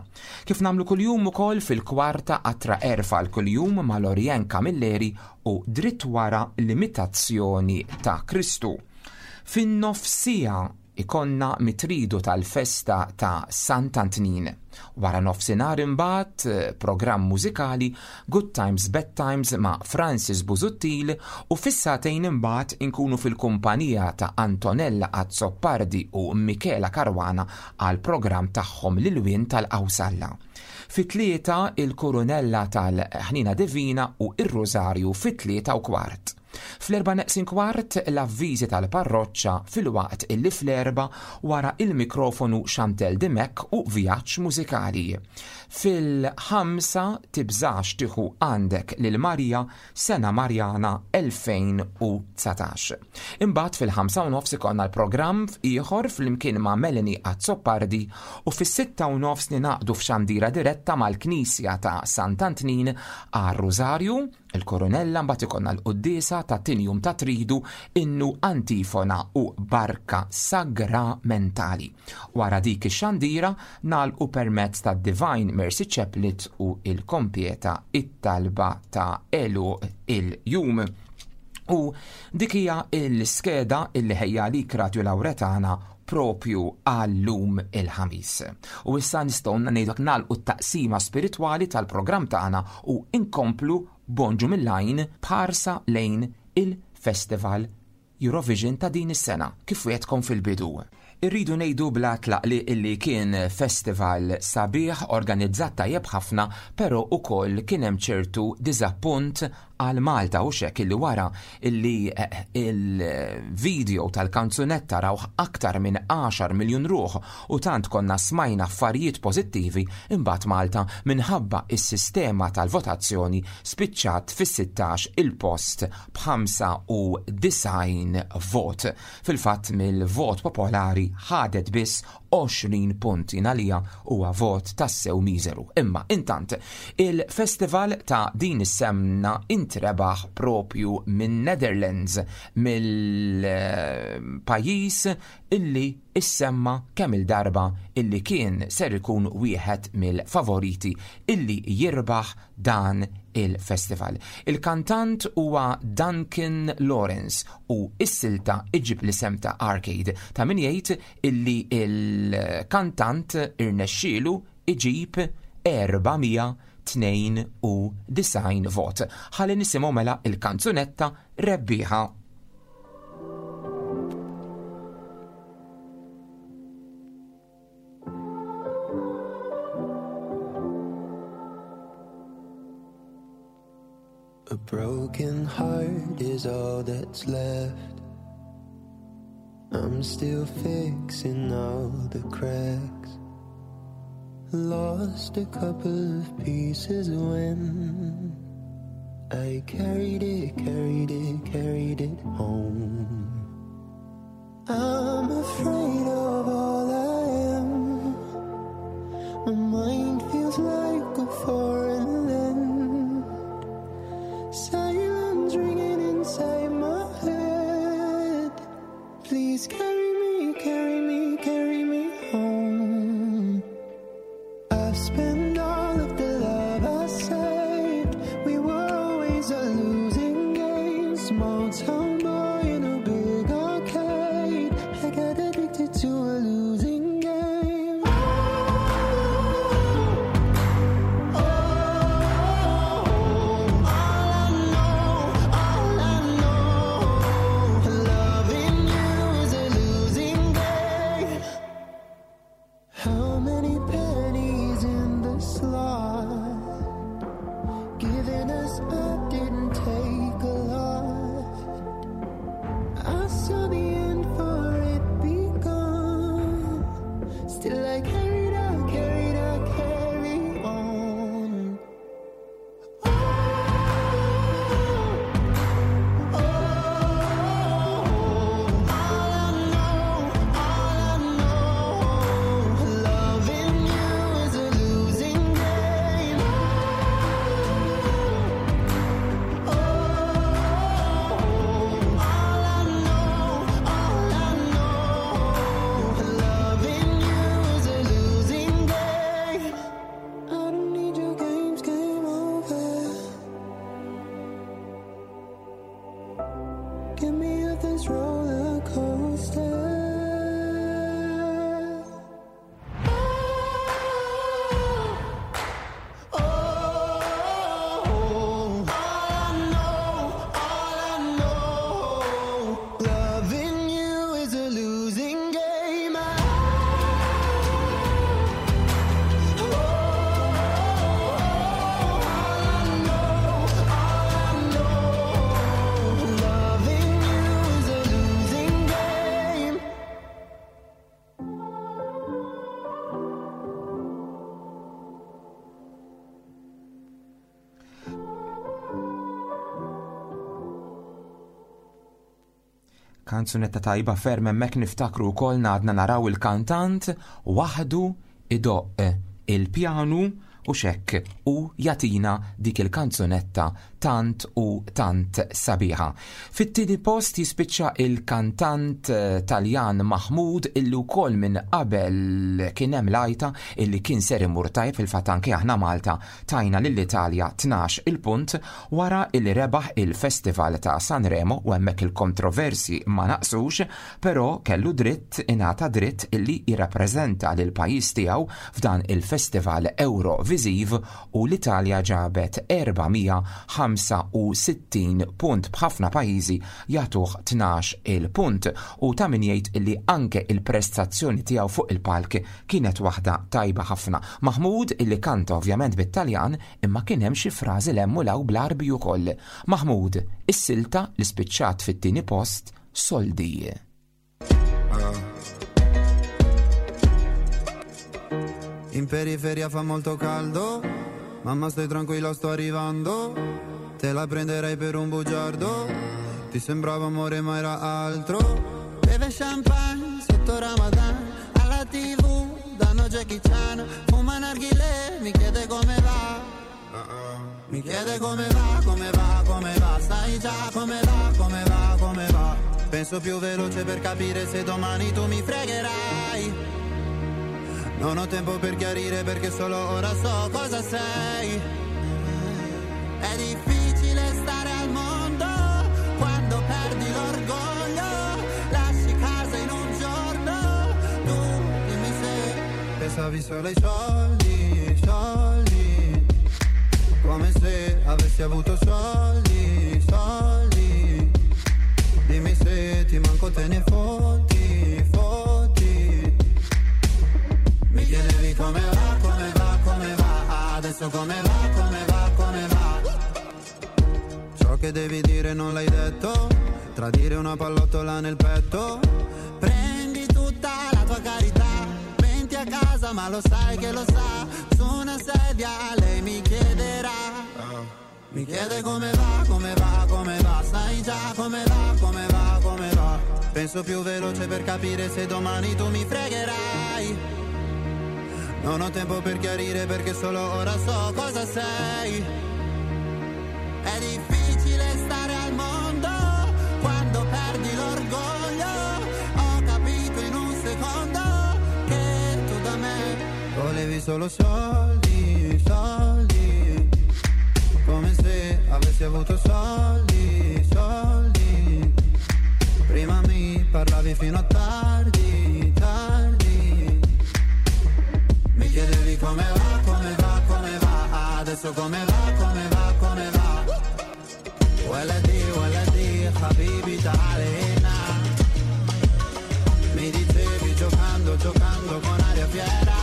Kif nagħmlu kuljum ukoll fil-kwarta qatra erfa l-kuljum ma' Lorien Camilleri u dritt wara l-imitazzjoni ta' Kristu. Fin-nofsija ikollna mit-tridu tal-festa ta' Sant'Antnin. Wara nofsinhar imbagħad programm mużikali Good Times Bad Times ma' Francis Busuttil u fis-sagħtejn imbagħad inkunu fil-kumpanija ta' Antonella Azzopardi u Michela Caruana għal programm tagħhom l-Ilwien tal-Qawsalla. Fit-tlieta il-Kurunella tal-Ħnina Divina u ir-Rosario fit-tlieta u kwart. Fl-erba' neqsin kwart l-avviżi tal-parroċċa filwaqt illi fl-erba' wara il-mikrofonu Chantel Dimek u vjaġġ mużikali. Fil-ħamsa tibżax tieħu għandek lil Marija Sena Marjana elfejn u dsatax. Imbagħad fil-ħamsa u nofs ikollna l-programm ieħor flimkien ma' Melanie Azzopardi u fis-sitta u nofs ninaqdu f'xandira diretta mal-Knisja ta' Sant'Antnin għar-Rosario, il-Koronella, mbagħad ikollna l-quddiesa ta' tinjum ta' tridu, innu antifona u barka sagramentali. Wara dik ix-xandira nagħlqu permezz ta' Divine Mercy Chaplet u il-kompieta it-talba ta' għeluq il-jum. U dik hija l-iskeda illi ħejja lik Radio Lauretana propju għallum il-Ħamis. U issa nistgħu ngħidlek nagħlqu t-taqsima spiritwali tal-programm tagħna u inkomplu Bonġu Mill-Għajn b'ħarsa lejn il-Festival Eurovision ta' din is-sena kif wegħedtkom fil-bidu. Irridu ngħidu bla tlaqli illi kien festival sabiħ organizzat tajjeb ħafna, però ukoll kien hemm ċertu diżappunt għal Malta u xek illi wara illi il-video tal-kanzunetta rawh aktar minn għaxar miljun ruħ u tant konna smajna affarijiet pożittivi, imbagħad Malta minħabba is-sistema tal-votazzjoni spiċċat fis-sittax il-post b'ħamsa u disgħin vot. Fil-fatt mill-vot popolari ħadet biss għoxrin punt, għalija huwa vot tassew miżeru. Imma intant il-festival ta' din is-semna inti intrebaħ propju minn Netherlands, mill-pajjiż illi issemma kemm il-darba illi kien ser ikun wieħed mill-favoriti illi jirbaħ dan il-festival. Il-kantant huwa Duncan Lawrence u s-silta iġib l-isem ta' Arcade. Ta' min jgħid illi il-kantant irnexxielu iġib erba' mija tnejn u disgħin vot. Ħalli nisimgħu mela il-kanzunetta rebbieħa. A broken heart is all that's left. I'm still fixing all the cracks. Lost a couple of pieces when I carried it, carried it, carried it home. I'm afraid of all I am. My mind feels like a foreign land. Silence ringing inside my head. Please carry me, carry me, carry me home. I've spent all of the love I saved. We were always a losing game. Small town boy in a big arcade. I got addicted to a losing game. Oh, oh, all I know, all I know, loving you is a losing game. How many pennies in the slot? Giving us up didn't take a lot. I saw the end for it begun. Still I carried on, carried on, carry on. Oh, oh, all I know, all I know, loving you is a losing game. Oh, all I know, all I know, loving you is a losing game. I don't need your games, game over. Get me off this roller coaster. Oh, all I know, all I know, loving you is a losing game. Loving you is a losing game. Kanzunetta tajba ferm hemmhekk niftakru wkoll għadna naraw il-kantant waħdu idoqq il-pjanu u xekk u jatina dik il-kanzunetta tant u tant sabiħa. Fit-tieni post jispiċċa il-kantant, eh, Taljan Mahmood illi wkoll minn qabel kien hemm lajta illi kien ser imur tajb, fil-fatt anke aħna Malta tajna lill-Italja tnax il-punt wara illi rebaħ il-Festival ta' Sanremo u hemmhekk il-kontroversi ma naqsux, però kellu dritt, ingħata dritt illi jirrappreżenta lil pajjiż tiegħu f'dan il-Festival Eurovisiv u l-Italja ġabet erba' mija ħamsa u sittin punt b'ħafna pajjiżi jagħtuh tnax il-punt u ta' min jgħid illi anke il-prestazzjoni tiegħu fuq il-palk kienet waħda tajba ħafna. Mahmood illi kanta ovvjament bit-Taljan imma kien hemm xi frażi l-hemm u law bl-Arbi ukoll. Mahmood, is-silta li spiċċat fit-tieni post, Soldi. In periferia fa molto caldo, mamma stai tranquilla sto arrivando, te la prenderei per un bugiardo, ti sembrava amore ma era altro. Beve champagne sotto Ramadan, alla tivù danno Jackie Chan, fuma narghilè, mi chiede come va, Mi chiede come va, come va, come va, sai già come va, come va, come va. Penso più veloce per capire se domani tu mi fregherai. Non ho tempo per chiarire perché solo ora so cosa sei. È difficile stare al mondo quando perdi l'orgoglio. Lasci casa in un giorno, tu dimmi se pensavi solo ai soldi, soldi. Come se avessi avuto soldi, soldi. Dimmi se ti manco te ne fotti, fotti. Mi chiedevi come va, come va, come va. Adesso come va, come va, come va. Ciò che devi dire non l'hai detto. Tradire una pallottola nel petto. Prendi tutta la tua carità. Menti a casa ma lo sai che lo sa. Su una sedia lei mi chiederà. Mi chiede come va, come va, come va. Sai già come va, come va, come va. Penso più veloce per capire se domani tu mi fregherai. Non ho tempo per chiarire perché solo ora so cosa sei. È difficile stare al mondo quando perdi l'orgoglio. Ho capito in un secondo che tu da me volevi solo soldi, soldi. Come se avessi avuto soldi, soldi. Prima mi parlavi fino a tardi, tardi. Mi chiedevi come va, come va, come va. Adesso come va, come va, come va. ولدي ولدي حبيبي تعال هنا. Mi dicevi giocando, giocando con aria fiera.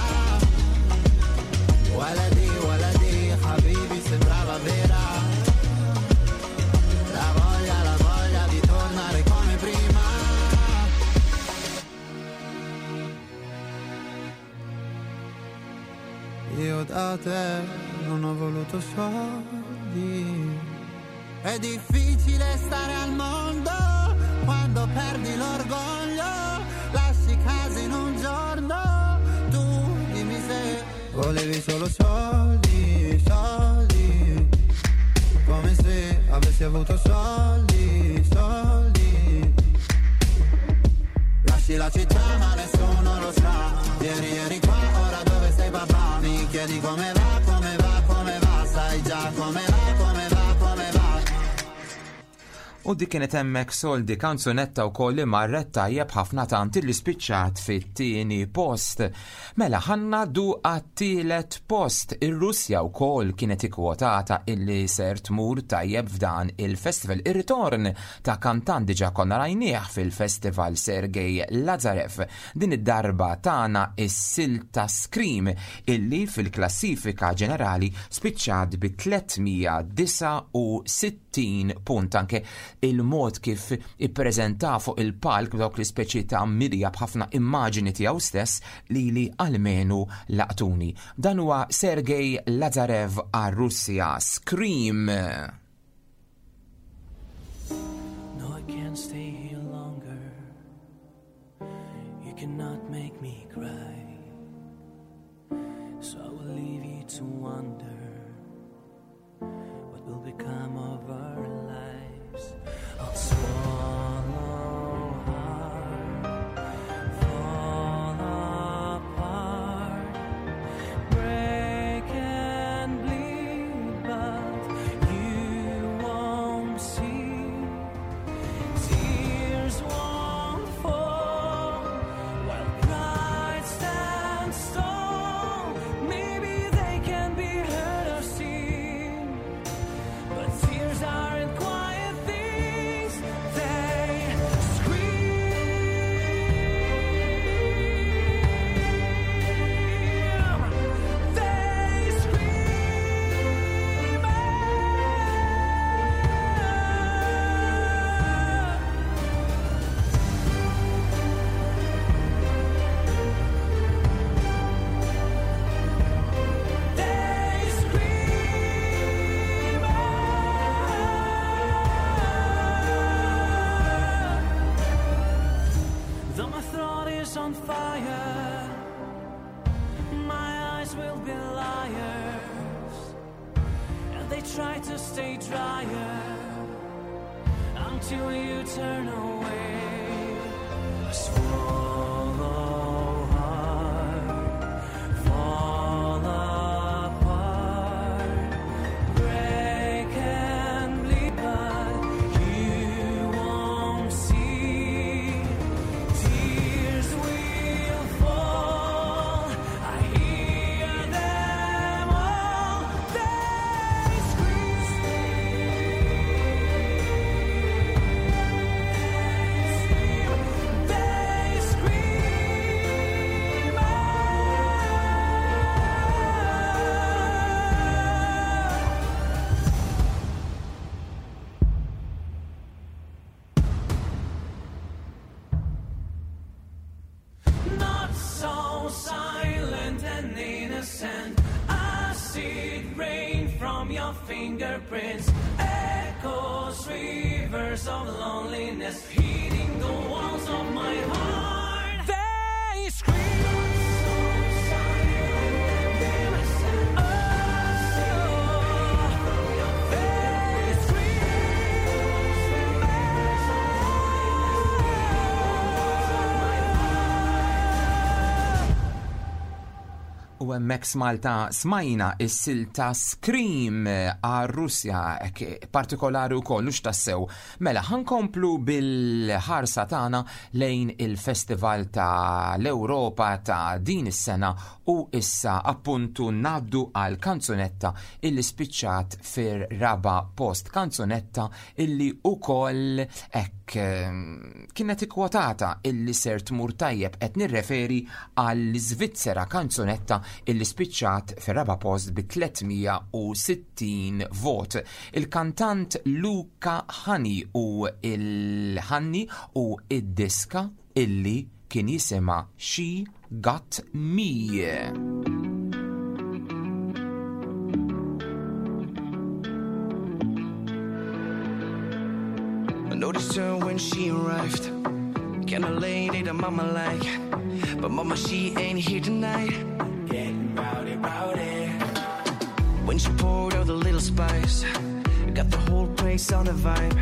ولدي ولدي حبيبي sembrava vera. La voglia, la voglia di tornare come prima. Io da te non ho voluto soldi. È difficile stare al mondo quando perdi l'orgoglio. Lasci casa in un giorno, tu dimmi se volevi solo soldi, soldi. Come se avessi avuto soldi, soldi. Lasci la città ma nessuno lo sa. Ieri eri qua, ora dove sei papà? Mi chiedi come va, come va, come va. Sai già come va, come va, come va. U dik kienet hemmhekk Soldi, kanzunetta wkoll li marret tajjeb ħafna tant li spiċċat fit-tieni post. Mela ħa ngħaddu għat-tielet post. Ir-Russja wkoll kienet ikkwotata illi ser tmur tajjeb f'dan il-festival. Ir-ritorn ta' kantant diġà konna rajnieh fil-festival Sergej Lazarev. Din id-darba tana is-silta Scream illi fil-klassifika ġenerali spiċċat bi tliet mija disgħa u sittin punt. Anke il-mod kif ippreżenta fuq il-palk b'dawk l-ispeċi ta' mirja b'ħafna immaġini tiegħu stess li li almenu laqtuni. Dan huwa Sergej Lazarev għar-Russja, Scream. No, I can't stay here longer. You cannot make me cry. So I will leave you to wonder what will become of our lives. I'll swallow hard, fall apart, break and bleed, but you won't see. Tears won't fall while pride stands tall. Maybe they can be heard. Till you turn away, I swallow hard, fall apart, break and bleed, but you won't see. Tears will fall. I hear them all. They scream. They scream out. Not so silent and innocent. Acid rain from your fingerprints, echoes, rivers of loneliness, hitting the walls of my heart. They scream. Oh, they scream. U hemmhekk Malta smajna is-silta Scream għar-Russja hekk partikolari wkoll hux tassew. Mela ħa nkomplu bil-ħarsa tagħna lejn il-Festival ta' l-Ewropa ta' din is-sena u issa appuntu ngħaddu għal kanzunetta illi spiċċat fir-raba post, kanzunetta illi ukoll hekk ehm, kienet ikkwotata illi ser tmur tajjeb, qed nirreferi għall-Iżvizzera, kanzunetta illi spiċċat fir-raba post bi tliet mija u sittin vot. Il-kantant Luca Hänni u il-Ħanni u id-diska illi kien jisimha She Got Me. I noticed her when she arrived. Kinda lady that mama like. But mama, she ain't here tonight. Getting rowdy, rowdy. When she poured out the little spice, got the whole place on the vibe.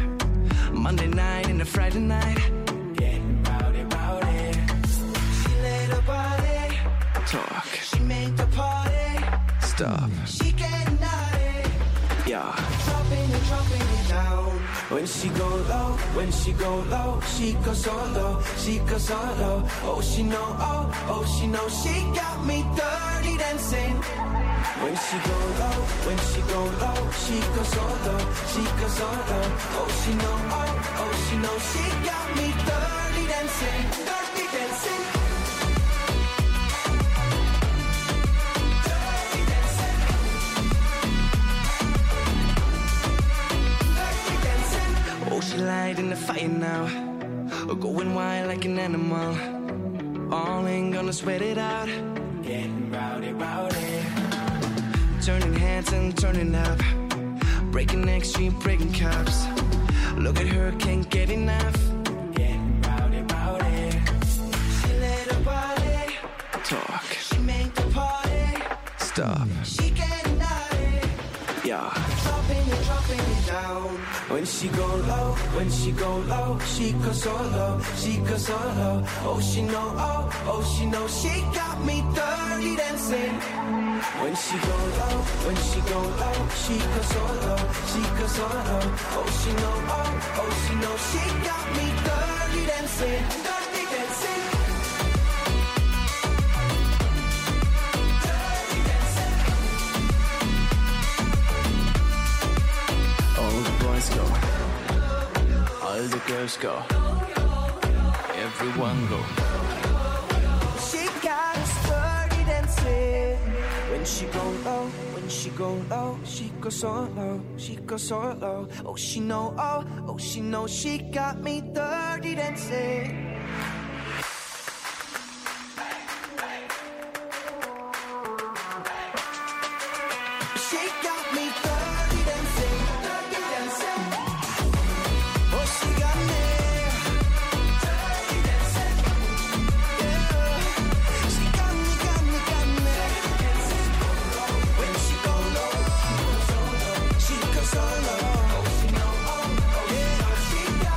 Monday night and a Friday night. Getting rowdy, rowdy. She let her body talk. She made the party stop. She getting naughty. Yeah. Dropping it, dropping it down. When she go low, when she go low, she goes so low, she goes so low. Oh, she know, oh, oh, she know, she got me dirty dancing. When she go low, when she go low, she goes so low, she goes so low. Oh, she know, oh, oh, she know, she got me dirty dancing, dirty dancing. Dirty dancing. Dirty dancing. Oh, she lighting the fire now. Going wild like an animal. All ain't gonna sweat it out. Getting rowdy, rowdy. Turning heads and turning up. Breaking necks, she breaking cups. Look at her, can't get enough. Getting rowdy, rowdy. She let her body talk. She made the party stop. She getting naughty. Yeah. Dropping it, dropping it down. When she go low, when she go low, she goes so low, she goes so low. Oh, she know, oh, oh, she know, she got me dirty dancing. When she go low, when she go low, she goes so low, she goes so low. Oh, she know, oh, oh, she know, she got me dirty dancing, dirty dancing. Dirty dancing. All the boys go, all the girls go, everyone go. She got us dirty dancing. When she go low, when she go low, she go so low, she go so low. Oh, she know, oh, oh, she know, she got me dirty dancing. She got me dirty dancing, dirty dancing. Oh, she got me dirty dancing. Yeah, she got me, got me, got me. When she go low, she goes so low. Oh, she know, oh, oh, yeah, she got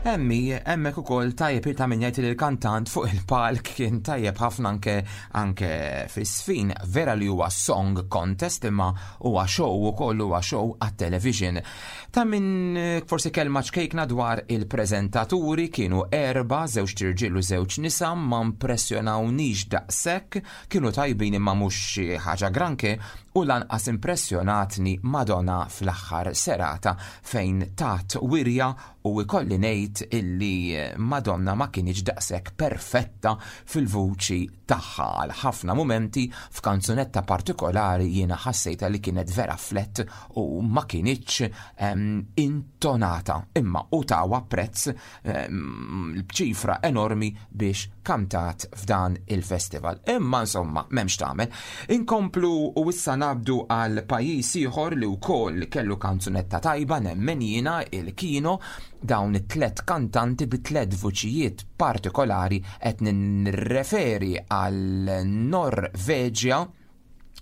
Emmi, hemmhekk ukoll tajjeb ta' min jgħid li l-kantant fuq il-palk kien tajjeb ħafna anke anke fis-sfin. Vera li huwa song contest imma huwa show ukoll, huwa show għat-television. Ta' min eh, forsi kelma ċkejkna dwar il-preżentaturi, kienu erba, żewġ irġiel u żewġ nisa, ma impressjonawnix daqshekk, kienu tajbin imma mhux xi ħaġa granché, u lanqas impressjonatni Madonna fl-aħħar serata fejn tat wirja u ikolli ngħid illi Madonna ma kienx daqshekk perfetta fil-vuċi tagħha. Għal ħafna mumenti f'kanzunetta partikolari jiena ħassejta li kienet vera flat u ma kienx em, intonata, imma u tawa prezz em, b'ċifra enormi biex kantat f'dan il-festival. Imma insomma, m'hemmx tagħmel. Inkomplu u issa nabdu għal pajjiż ieħor li wkoll kellu kanzunetta tajba, nemmen jiena, il-Kino, dawn it-tlet kantanti bi tlet vuċijiet partikolari. Qed nirreferi għal Norveġja.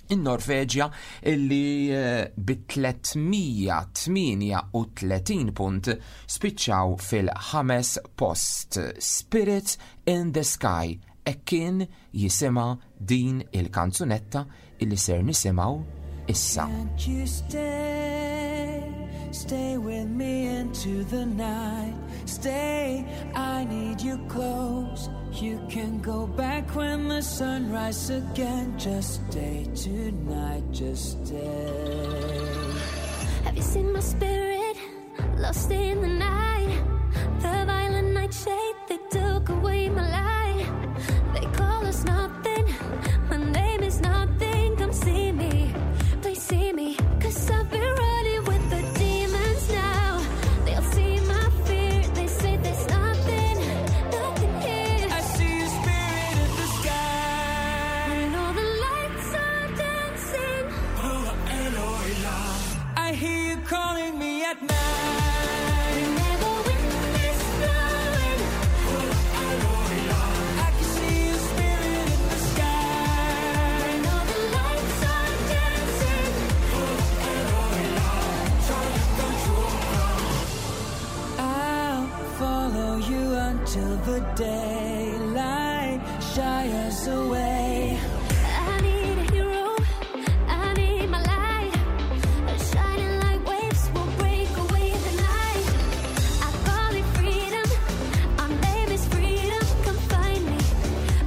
In-Norveġja illi eh, bi tliet mija tmienja u tletin punt spiċċaw fil-ħames post. Spirit in the Sky, e kien jisimha din il-kanzunetta illi ser nisimgħu issa. Can't you stay? Stay with me into the night. Stay, I need you close. You can go back when the sun rises again. Just stay tonight, just stay. Have you seen my spirit lost in the night? The violent nightshade, they took away my light. They call us nothing. My name is nothing. Come see me, please see me. 'Cause I've been running with the demons now. They'll see my fear. They say there's nothing, nothing here. I see your spirit in the sky. When all the lights are dancing, I hear you calling me at night. Whenever wind is blowing, I can see your spirit in the sky. When all the lights are dancing. I'll follow you until the daylight shines away. I need a hero, I need my light. Shining like waves will break away the night. I call it freedom, our name is freedom. Come find me,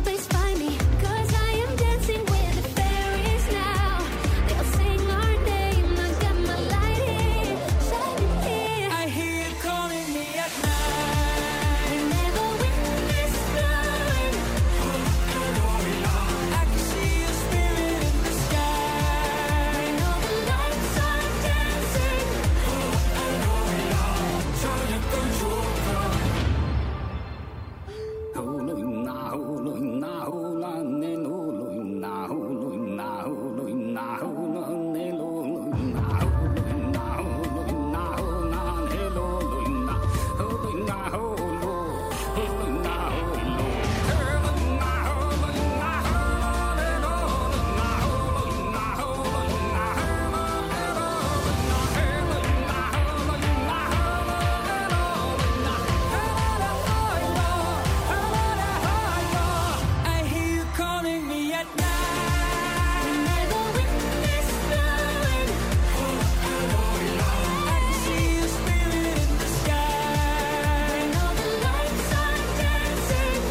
please find me. 'Cause I am dancing with the fairies now. They'll sing our name. I got my light here, shining here. I hear you calling me at night. Whenever wind is blowing, I can see your spirit in the sky. When all the lights are dancing. I hear you calling me at night. Whenever wind is blowing, I can see your spirit in the sky. When all the lights are dancing.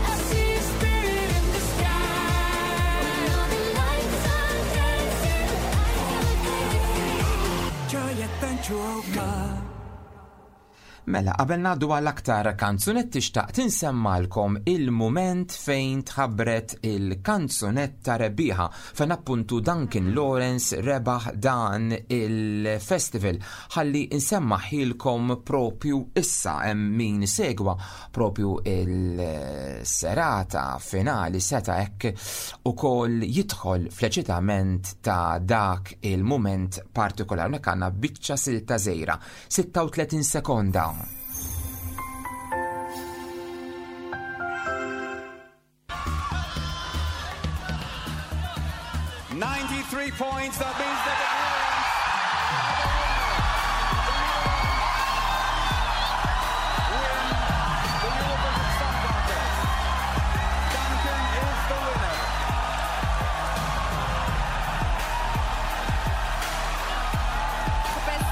I see your spirit in the sky. When all the lights are dancing. Mela, qabel ngħaddu għal aktar kanzunetti xtaqt insemmalkom il-mument fejn tħabbret il-kanzunetta rebbieħa, fejn appuntu Duncan Lawrence rebaħ dan il-festival. Ħalli insemmahielkom propju issa, hemm min segwa propju il-serata finali seta hekk ukoll jidħol fl-eċitament ta' dak il-mument partikolari. Hawnhekk għandna biċċa silta żgħira, sitta u tletin sekonda. Ninety-three points, that means that the Netherlands win the Eurovision Song Contest. Duncan is the winner. The best.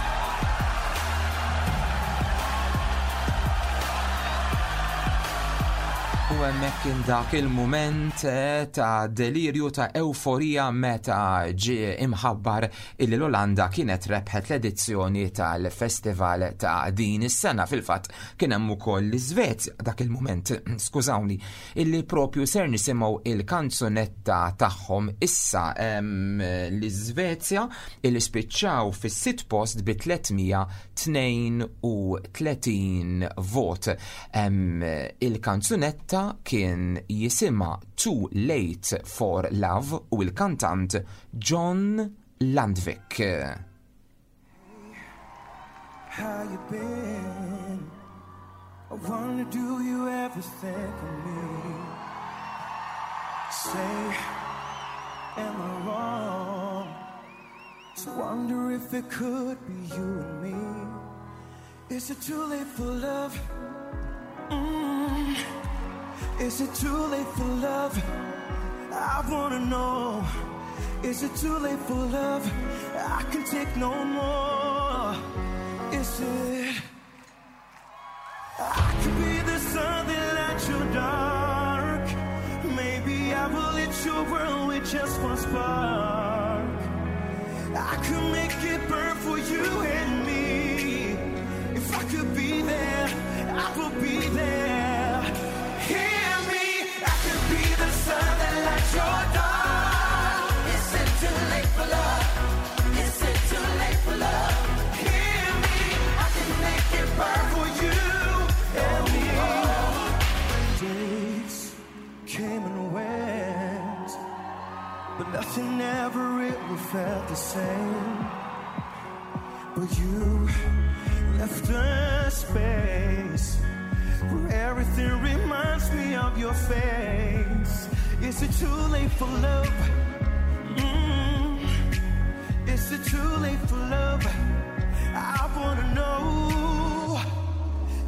U hemmhekk kien dak il-mument eh, ta' delirju ta' euforija meta ġie imħabbar illi l-Olanda kienet rebħet l-edizzjoni tal-festival ta' din is-sena. Fil-fatt kien hemm ukoll l-Iżvezja dak il-mument, skużawni, illi propju ser nisimgħu il-kanzunetta tagħhom issa em, l-Iżvezja illi spiċċaw fis-sitt post bi tliet mija tnejn u tletin vot. Em, Il-kanzunetta kien jisimha Too Late for Love u il-kantant John Lundvik. How you been? I wonder, do you ever think of me? Say, am I wrong to wonder if it could be you and me? Is it too late for love? Mm. Is it too late for love? I wanna know. Is it too late for love? I can take no more. Is it? I could be the sun that lights your dark. Maybe I will lit your world with just one spark. I could make it burn for you and me. If I could be there, I would be there. Hear me, I could be the sun that lights your dark. Is it too late for love? Is it too late for love? Hear me, I can make it burn for you and me. Days came and went, but nothing ever really felt the same. But you left a space where everything reminds me of your face. Is it too late for love? Mm. Is it too late for love? I wanna know.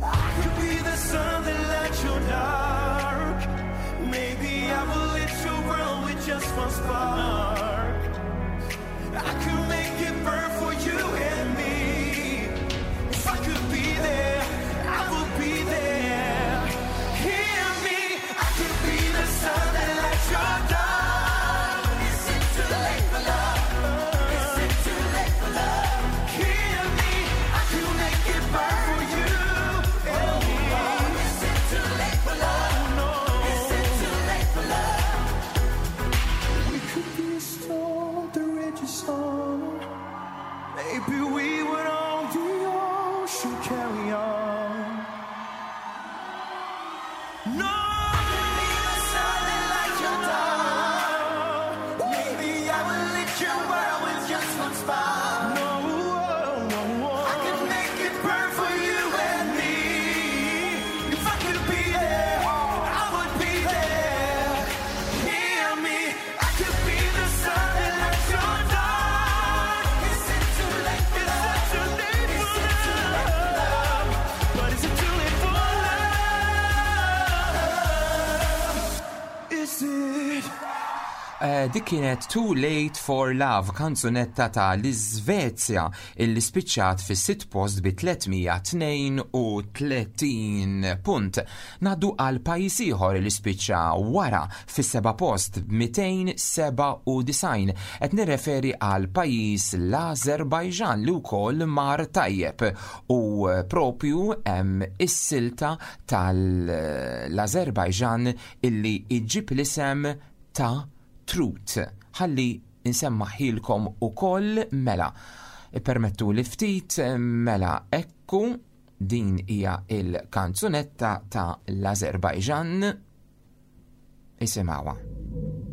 I could be the sun that lights your dark. Maybe I will lit your world with just one spark. I could make it burn for you and me. If I could be there, I would be there. Hear me, I could be the sun that lights your dark. Is it too late for love? Is it too late for love? Hear me, I could make it burn for you and me. Is it too late for love? No. Is it too late for love? We could be a storm that rages on. Maybe we would on the ocean carry on. No, I could be the sun that lights your dark. Maybe I will lit your world with just one spark. No, no, no. I could make it burn for you and me. If I could be there, I would be there. Hear me, I could be the sun that lights your dark. Is it too late for love? Is it too late for love? But is it too late for love? Is it? Eh, dik kienet Too Late for Love, kanzunetta ta' l-Iżvezja illi spiċċat fis-sitt post bi tliet mija tnejn u tletin punt. Ngħaddu għal pajjiż ieħor li spiċċa wara fis-seba' post b'mitejn seba' u disgħin. Qed nirreferi għal pajjiż l-Azerbajġan li wkoll mar tajjeb u propju hemm is-silta tal-Azerbajġan illi iġġib l-isem ta' Truth. Ħalli nsemmaħilkom ukoll mela. Permettu li ftit mela ekku din hija il-kanzunetta ta' l-Azerbajġan. Isimgħuha. Thank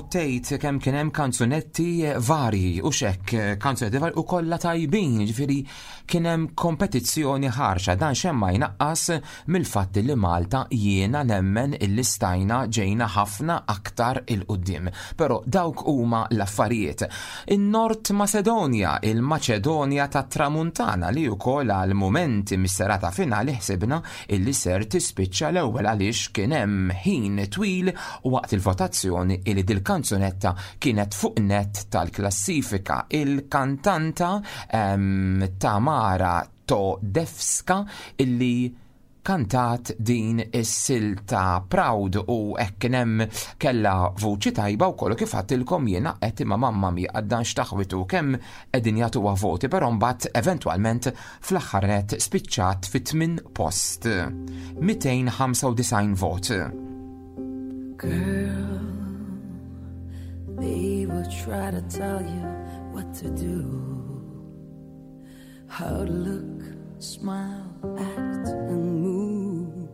Tgħid kemm kien hemm kanzunetti varji u xek kanzunetti varji u kollha tajbin, ġifieri kien hemm kompetizzjoni ħarxa. Dan xejn ma jnaqqas mill-fatt li Malta jiena nemmen illi stajna ġejna ħafna aktar 'il quddiem. Però dawk huma l-affarijiet. In-Nord Macedonia, il-Maċedonja tat-Tramuntana, li wkoll għal mumenti mis-serata finali ħsibna illi ser tispiċċa l-ewwel għaliex kien hemm ħin twil u waqt il-votazzjoni illi dil-kanzunetta kienet fuq net tal-klassifika. Il-kantanta um, Tamara Todevska illi kantat din is-silta Proud u hekk kien hemm kellha vuċi tajba u kollu kif għedtilkom jiena qed imma mamma mi għaddan x'taħwitu kemm qegħdin jagħtuha voti, però mbagħad eventwalment fl-aħħar net spiċċat fit-tmien post. mitejn ħamsa u disgħin vot. Girl, they will try to tell you what to do, how to look, smile, act, and move.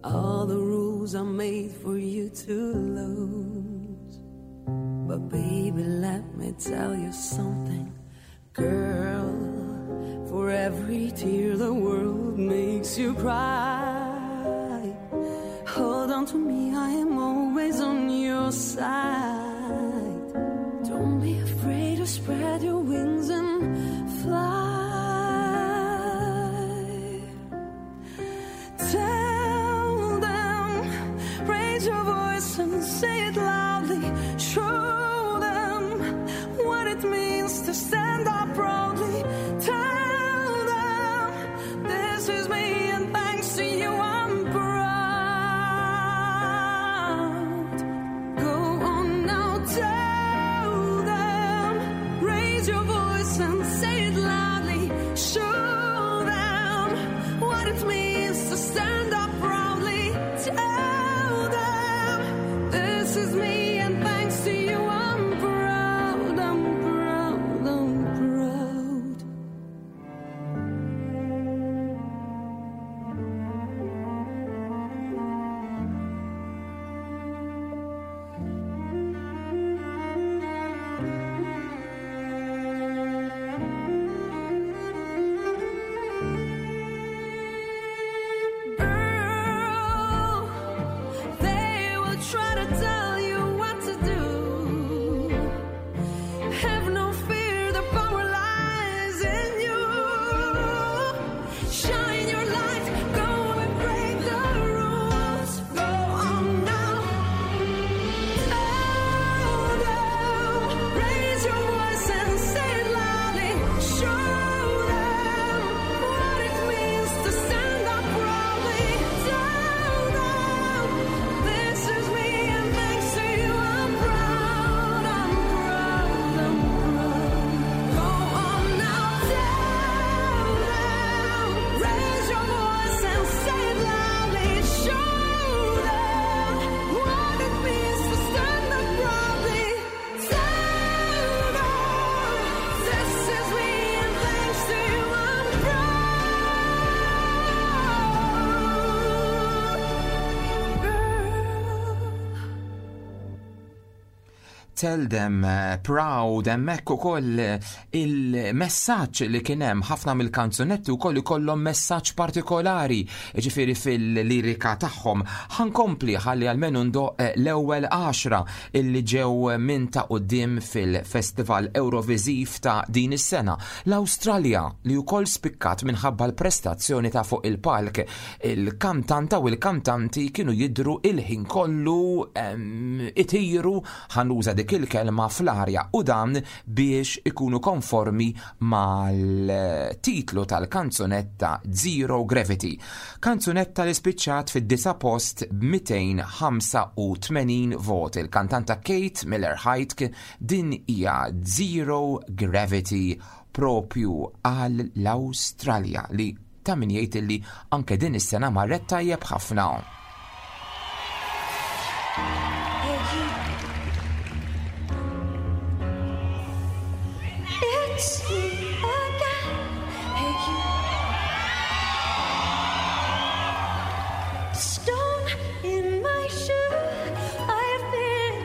All the rules are made for you to lose. But baby, let me tell you something, girl. For every tear the world makes you cry, hold on to me, I am always on your side. Don't be afraid to spread your wings and fly. Tell them, raise your voice and say it loudly. Show them what it means to stand up proudly. Tell them, this is me and thanks to you I'm proud. Go on now, tell them, raise your voice and say it loudly. Show them what it means to stand up proudly. Tell them, this is me and thanks to you I'm proud, I'm proud, I'm proud. Girl, they will try to tell you what to do. Have no fear, the power lies in you. Shine your light, go and break the rules. Go on now. Tell them, raise your voice and say it loudly. Show them what it means to stand up proudly. Tell them, this is me and thanks to you I'm proud, I'm proud, I'm proud. Go on now, tell them, raise your voice and say it loudly. Show them what it means to stand up proudly. Tell them, this is me and thanks to you I'm proud. Girl. Tell them eh, proud, hemmhekk ukoll eh, il-messaġġ li kien hemm. Ħafna mill-kanzunetti wkoll ikollhom messaġġ partikolari, ġifieri fil-lirika tagħhom. Ħa nkompli ħalli almenu ndoqq eh, l-ewwel għaxra illi ġew minn ta' quddiem fil-Festival Euroviżiv ta' din is-sena. L-Awstralja, li wkoll spikkat minħabba l-prestazzjoni ta' fuq il-palk. Il-kantanta u il-kantanti kienu jidru il-ħin kollu em, itiru, ħa nuża dik il-kelma, fl-arja, u dan biex ikunu konformi mal-titlu tal-kanzunetta Zero Gravity. Kanzunetta li spiċċat fid-disa' post b'mitejn ħamsa u tmenin vot. Il-kantanta Kate Miller-Heidke, din hija Zero Gravity propju għal l-Awstralja, li ta' min jgħid li anke din is-sena marret tajjeb ħafna. Hey, you. It's me again. Hey, you. Stone in my shoe. I've been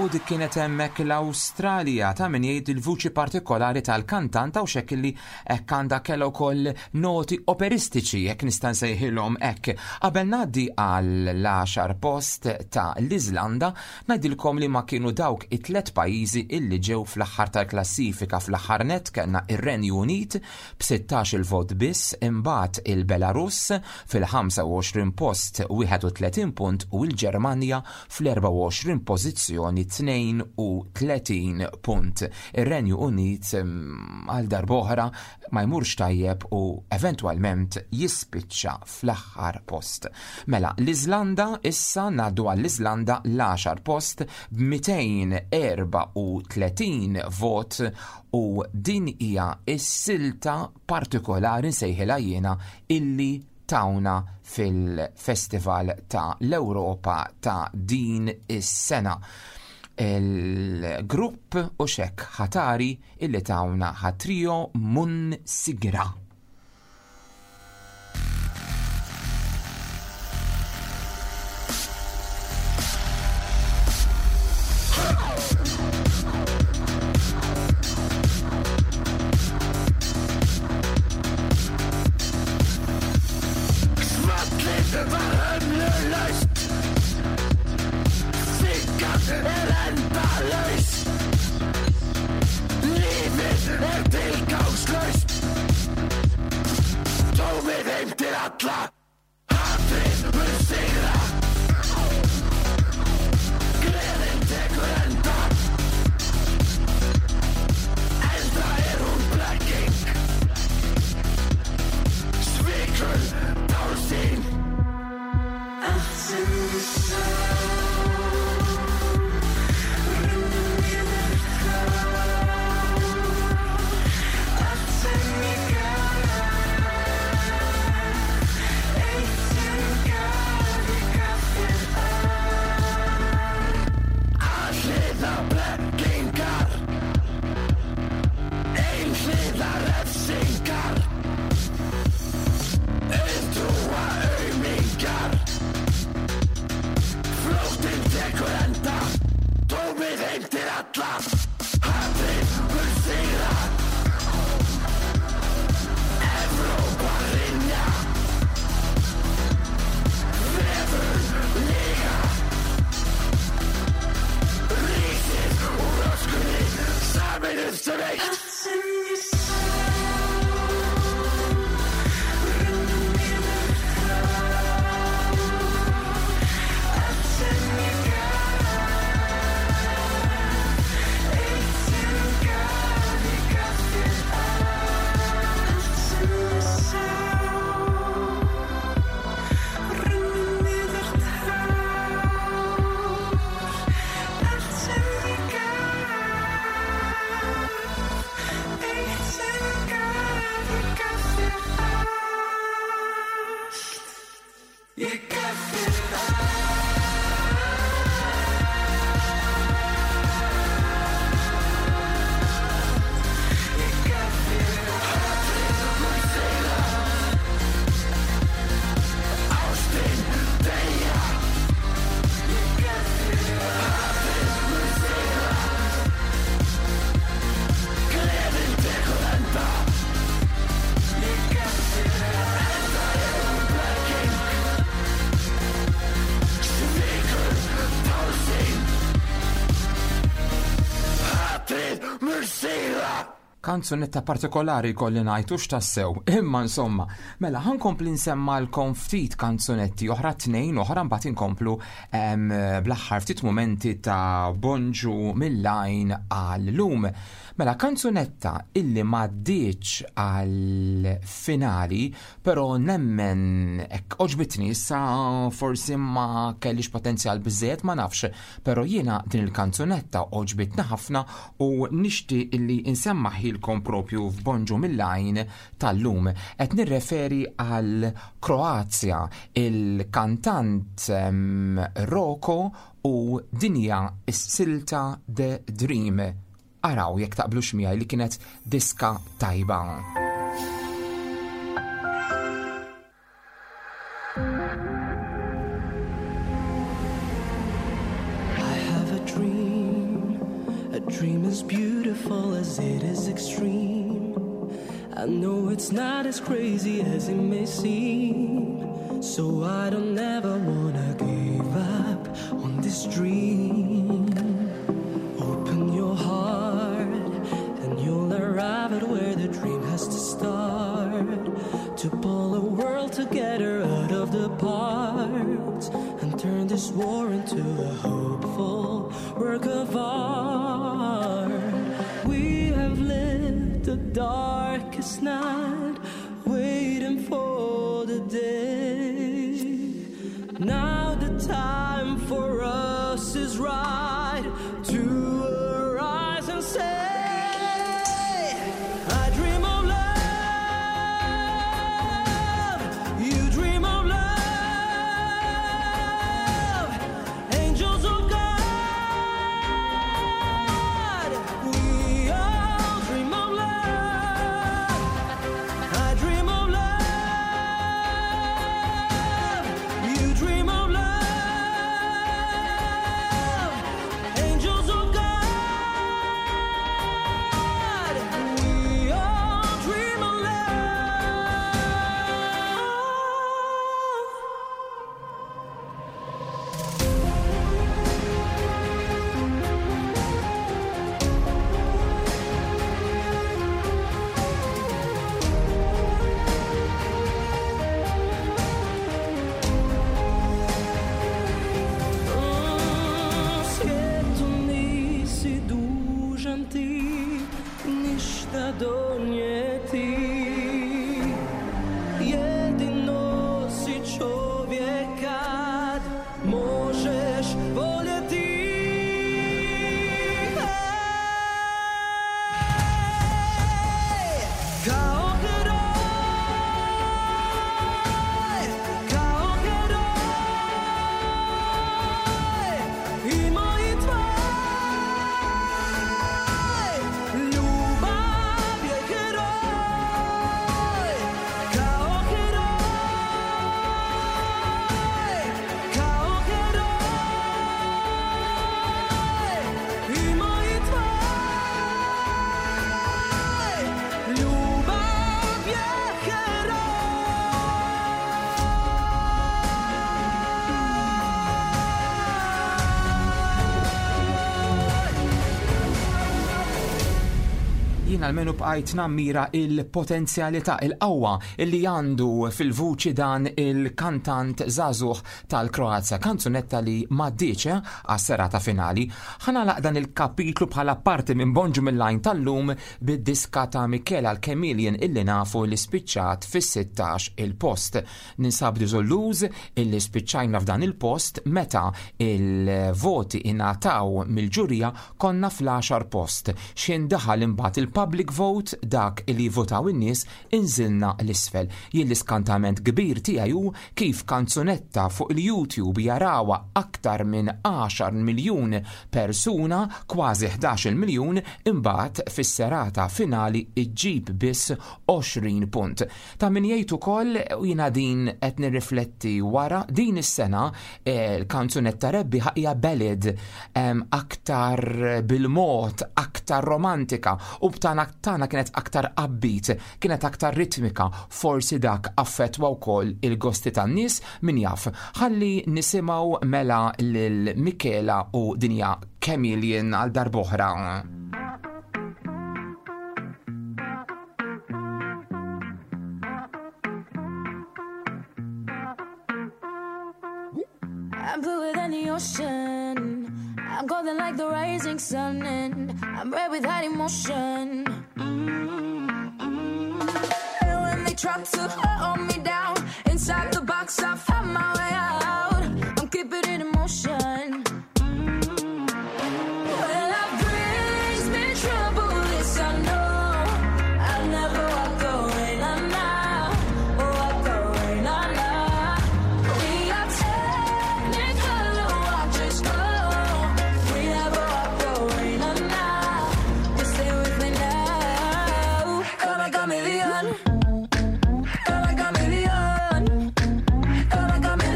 U dik kienet hemmhekk l-Awstralja ta' min jgħid il-vuċi partikolari tal-kantanta u xekk li hekk għandha kellha wkoll noti operistiċi jekk nista' nsejħilhom hekk. Qabel ngħaddi għall-għaxar post ta' l-Iżlanda ngħidilkom li ma kienu dawk it-tliet pajjiżi illi ġew fl-aħħar tal-klassifika. Fl-aħħar net kellna ir-Renju Unit b'sittax il-vot biss, imbagħad il-Belarus fil-ħamsa u għoxrin post wieħed u tletin punt u l-Ġermanja fl-erbgħa u għoxrin pożizzjoni tnejn u tletin punt. Ir-Renju Unit, mm, għal darb'oħra ma jmurx tajjeb u eventwalment jispiċċa fl-aħħar post. Mela, l-Iżlanda, issa ngħaddu għall-Iżlanda l-għaxar post b'mitejn erba' u tletin vot u din hija s-silta partikolari nsejħilha jiena illi tawna fil-Festival ta' l-Ewropa ta' din is-sena. Il-grupp u xek ħatari illi tawna ħatrio Mun Sigra. Svallið var hömlulaust. Siggan er endalaus. Lífið er tilgangslaust. Tómið heimtir alla. Hatrið mun sigra. Gleðin tekur enda. Enda er hún blekking. Svikul tálsýn. Allt sem ég sá runnu niður tár. Allt sem ég gaf, eitt sem gaf, ég gaf þér allt. Alhliða blekkingar, einhliða refsingar, auðtrúa aumingjar. Flóttinn tekur enda, tómið heimtir alla. Hatrið mun sigra. Evrópa hrynja. Vefur lyga. Rísið úr öskunni, sameinuð sem eitt. Allt sem ég sá runnu niður tár. Allt sem ég gaf, eitt sem gaf, ég gaf þér allt. Allt sem ég sá runnu niður tár. Allt sem ég gaf, eitt sem gaf, ég gaf þér allt. Ég gaf þér allt. Ég gaf þér Hatrið mun sigra. Ástin deyja. Ég gaf þér Hatrið mun sigra. Gleðin tekur enda. Ég gaf þér Enda er hún blekking. Svikur tálsýn. Hatrið mun sigra. Kanzunetta partikolari kolli ngħid hux tassew, imma insomma, mela ħankompli nsemmalkom ftit kanzunetti oħra, tnejn oħra, mbagħad inkomplu, em, bl-aħħar ftit mumenti ta' Bonġu mill-lajn għal-lum. Mela kanzunetta illi m'għaddietx għal-finali, però nemmen hekk oġbitni, issa forsi ma kellix potenzjal biżżejjed, ma nafx, però jiena din il-kanzunetta oġbitni ħafna u nixtieq illi insemmaħilkom propju f'Bonġu mill-lajn tal-lum. Qed nirreferi għal Kroazja, il-kantant, em, Roko u dinja s-silta The Dream. Araw jekk taqblux miegħi li kienet diska tajba. I have a dream, extreme. I know it's not as crazy as it may seem. So I don't ever wanna give up on this dream. Open your heart and you'll arrive at where the dream has to start. To pull a world together out of the parts and turn this war into a hopeful work of art. We have lived the darkest night, waiting for the day. Now the time for us is right to arise and say, I dream of love, you dream of love, angels of God, we all dream of love. I dream of love, you dream of love, angels of God, we all dream of love. Mm, Svijetu nisi dužan ti ništa donijeti. Jedino si čovjek kad možeš voljeti. Hej! Kao heroj, kao heroj, i moj i tvoj. Ljubav je heroj, kao heroj, kao heroj, i moj i tvoj. Ljubav je heroj. Jien almenu bqajt nammira il-potenzjalità, il-qawwa illi għandu fil-vuċi dan il-kantant żagħżugħ tal-Kroazja, kanzunetta li m'għaddietx eh, għas-serata finali. Ħa nagħlaq dan il-kapitlu bħala parti minn Bonġu mill-Għajn tal-lum bid-diska ta' Michela l-Chameleon illi nafu li spiċċat fis-sittax il-post. Ninsab diżilluż illi spiċċajna f'dan il-post meta il-voti ingħataw mill-ġurija konna fl-għaxar post. X'ħin daħal imbagħad il-public vote, dak li votaw in-nies, inżilna l-isfel. Jien l-iskantament kbir tiegħi hu kif kanzunetta fuq il-YouTube jarawha aktar minn għaxar miljun persuna, kważi ħdax-il miljun, imbagħad fis-serata finali iġġib biss għoxrin punt. Ta' min jgħid ukoll, u jiena din qed nirrifletti wara, din is-sena eh, l-kanzunetta rebbieħa hija ballad, em, aktar bil-mod, aktar romantika, u b'tana tana kienet aktar upbeat, kienet aktar ritmika, forsi dak affettwa wkoll il-gosti tan-nies, min jaf. Ħalli nisimgħu mela lil Michela u dinja Chameleon għal darb'oħra. I'm bluer than the ocean. I'm golden like the rising sun, and I'm red with hot emotion. Mm-hmm. And when they try to hold me down, inside the box I find my way out. I'm keeping it in motion. Mm-hmm. Well, life brings me trouble, this I know. I'll never walk away, nah, nah. Walk away, nah, nah. We are technicolor, watch us go. We never walk away, nah, nah. Just stay with me now. Come like a chameleon. Come like a chameleon. Come like a chameleon.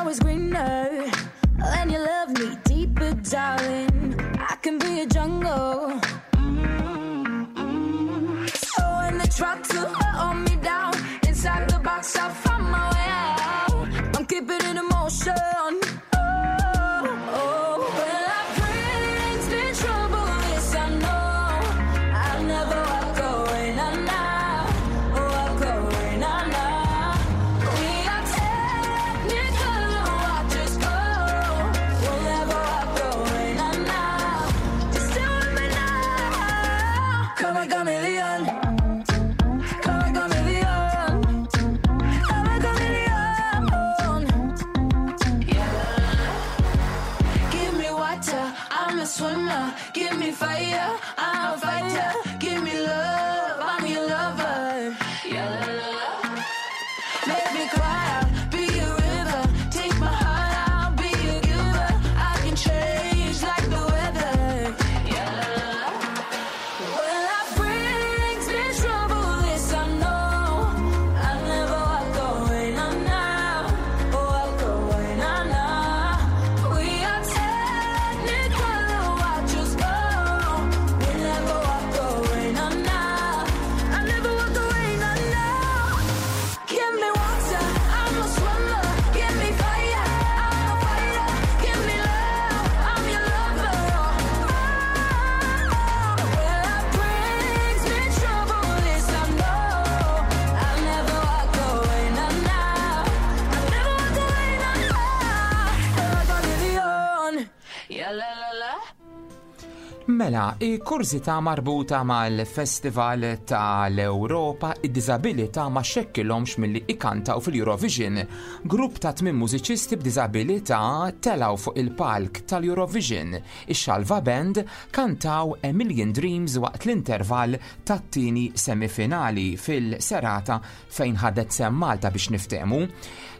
always greener. And you love me deeper, darling. I can be a jungle. So when they try to hold me down, inside the box I find my way out. I'm keeping it in motion. Oh, oh. When life brings me trouble, this I know. I'll never walk away, nah, nah. Walk away, nah, nah. We are technicolor, watch us go. We'll never walk away, nah, nah. Just stay with me now. Come on, chameleon. Come on, chameleon. Come on, chameleon. Yeah. Give me water, I'm a swimmer. Give me fire, I'm a fighter. Give me love, I'm your lover. Yeah, la, la, la. Make me cry, I'll be a river. Take my heart, I'll be a giver. I can change like the weather. Yeah, la, la, la. When life brings me trouble, this I know. I'll never walk away, nah, nah. Walk away, nah, nah. We are technicolor, watch us go. We'll never walk away, nah, nah. I never walk away, nah, nah. Give me water, I'm a swimmer. Give me fire, I'm a fighter. Give me love, I'm your lover. Oh, when life brings me trouble, this I know. I'll never walk away, nah, nah. I'll never walk away, nah, nah. Like a chameleon. Yeah, la, la, la. Mela, kurżità marbuta mal-Festival tal-Ewropa, id-diżabilità ma xekkilhomx milli ikantaw fil-Eurovision. Grupp ta' tmien mużiċisti b'diżabilità telaw fuq il-palk tal-Eurovision. Ix-Xalva Band kantaw A Million Dreams waqt l-intervall tat-tieni semifinali fil-serata fejn ħadet sehem Malta biex niftehmu.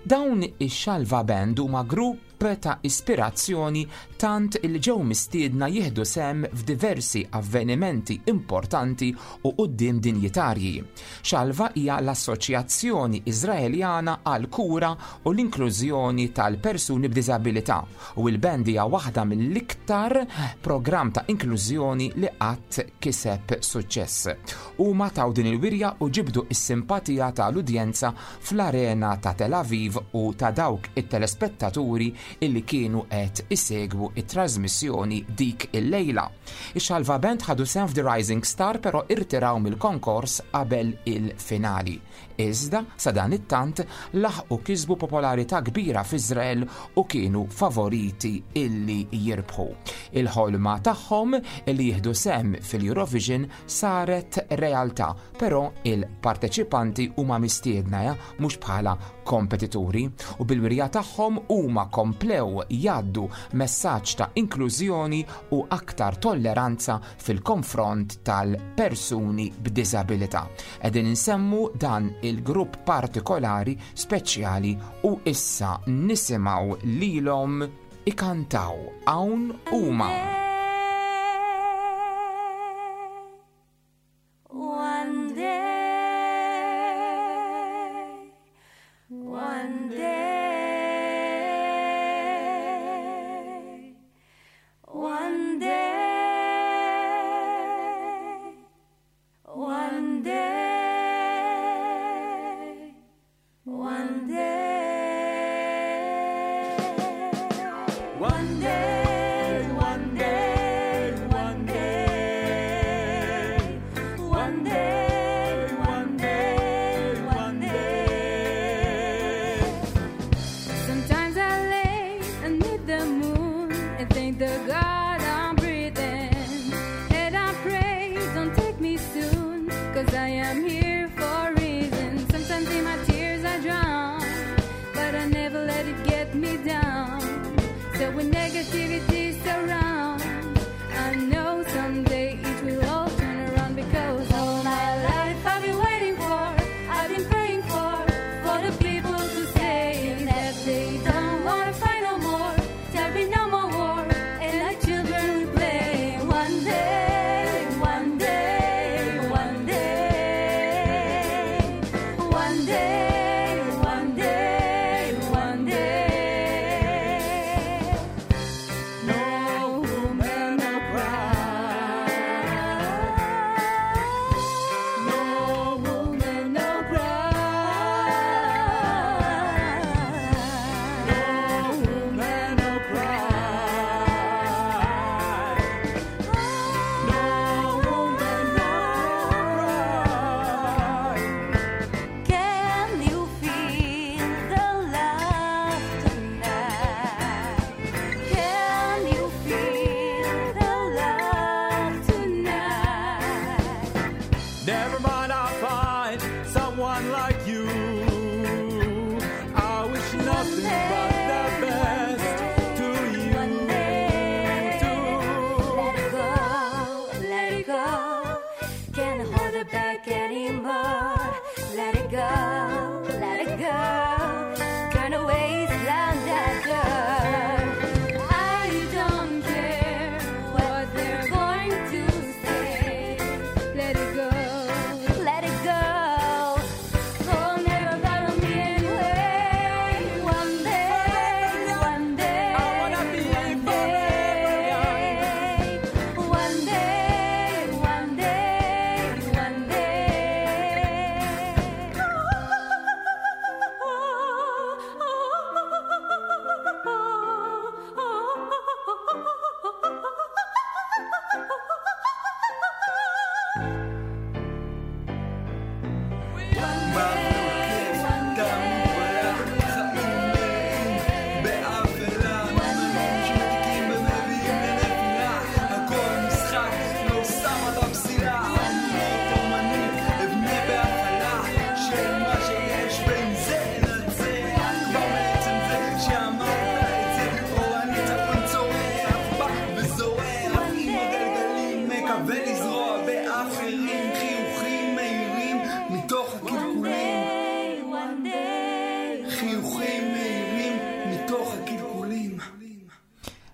Dawn ix-Xalva Band huma grupp ta' ispirazzjoni tant il ġew mistiedna jieħdu sehem f'diversi avvenimenti importanti u quddiem dinjitarji. Xalva hija l-Assoċjazzjoni Iżraeljana għal kura u l-inklużjoni tal-persuni b'diżabilità u l-band hija waħda mill-iktar programm ta' inklużjoni li qatt kiseb suċċess. Huma taw din il-wirja u ġibdu is-simpatija tal-udjenza fl-arena ta' Tel Aviv u ta' dawk it-telespettaturi illi kienu qed isegwu it-trasmissjoni dik il-lejla. Ix-Xalva Band ħadu sehem f'The Rising Star, però irtiraw mill-konkors qabel il-finali. Iżda sa dan it-tant laħqu kisbu popolarità kbira f'Iżrael u kienu favoriti illi jirbħu. Il-ħolma tagħhom illi jieħdu sehem fil-Eurovision saret realtà, però il-parteċipanti huma mistiedna ja, mhux bħala kompetituri, u bil-wirja tagħhom huma komplew jgħaddu messaġġ ta' inklużjoni u aktar tolleranza fil-konfront tal-persuni b'diżabilità. Qegħdin insemmu dan il-grupp partikolari speċjali u issa nisimgħu lilhom ikantaw hawn huma. One day, one day, one day, one day, one day, one day, one day, one day, one day, one day, one day. Sometimes I lay under the moon and thank the God I'm breathing. And I pray, don't take me soon, 'cause I am here for a reason. Sometimes in my tears I drown, but I never let it get me down. So when negativity surrounds, I know someday it will all turn around, because all my life I've been waiting for, I've been praying for, for the people to say that they don't wanna fight no more, there'll be no more war, and our children will play. One day, one day, one day, one day, one day, one day.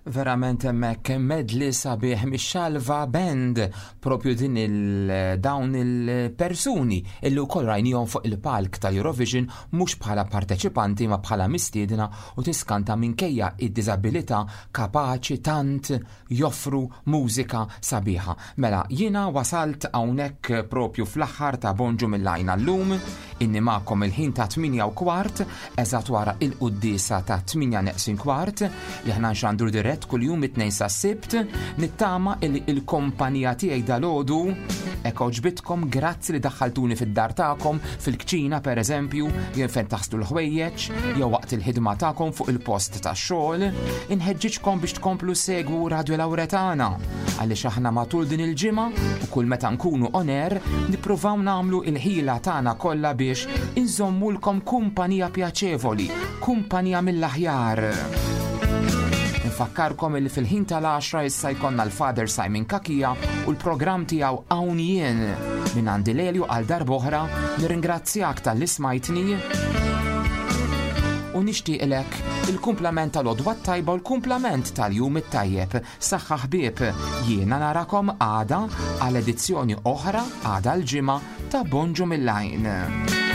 Verament hemmhekk medley sabiħ mix-Xalva Band, propju din il dawn il-persuni illi wkoll rajnihom fuq il-palk tal-Eurovision, mhux bħala parteċipanti ma bħala mistiedna, u tiskanta, minkejja id-diżabilità kapaċi tant joffru mużika sabiħa. Mela, jiena wasalt hawnhekk propju fl-aħħar ta' Bonġu mill-Għajn llum, inni magħkom il-ħin ta' tmienja u kwart, eżatt wara il-quddisa ta' tmienja neqsin kwart, li ħna nxandru dirett kull-jum it-Tnejn sa Sibt. Nittama il il-kompanija tiegħi dalgħodu hekk għoġbitkom. Grazzi li daħħaltuni fid-dar tagħkom, fil-kċina per eżempju, jew fejn taħslu l-ħwejjeġ, jew waqt il-ħidma tagħkom fuq il-post tax-xogħol. Inħeġġiġkom biex tkomplu segwu Radio Lauretana, għaliex aħna matul din il-ġimgħa u kull meta nkunu on air nippruvaw nagħmlu il-ħila tagħna kollha biex inżommulkom kumpanija pjaċevoli, kumpanija mill-aħjar. Nfakkarkom il fil-ħin tal-għaxra issa jkollna l-Father Simon Cachia u l-programm tiegħu Hawn Jien. Minn għandi Lelju, għal darb'oħra nirringrazzjak talli smajtni u nixtieqlek il-kumplament tal-għodwa tajba u l-kumplament tal-jum it-tajjeb. Saħħa ħbieb, jiena narakom għada għal edizzjoni oħra, għada l-Ġimgħa, ta' Bonġu mill-Għajn.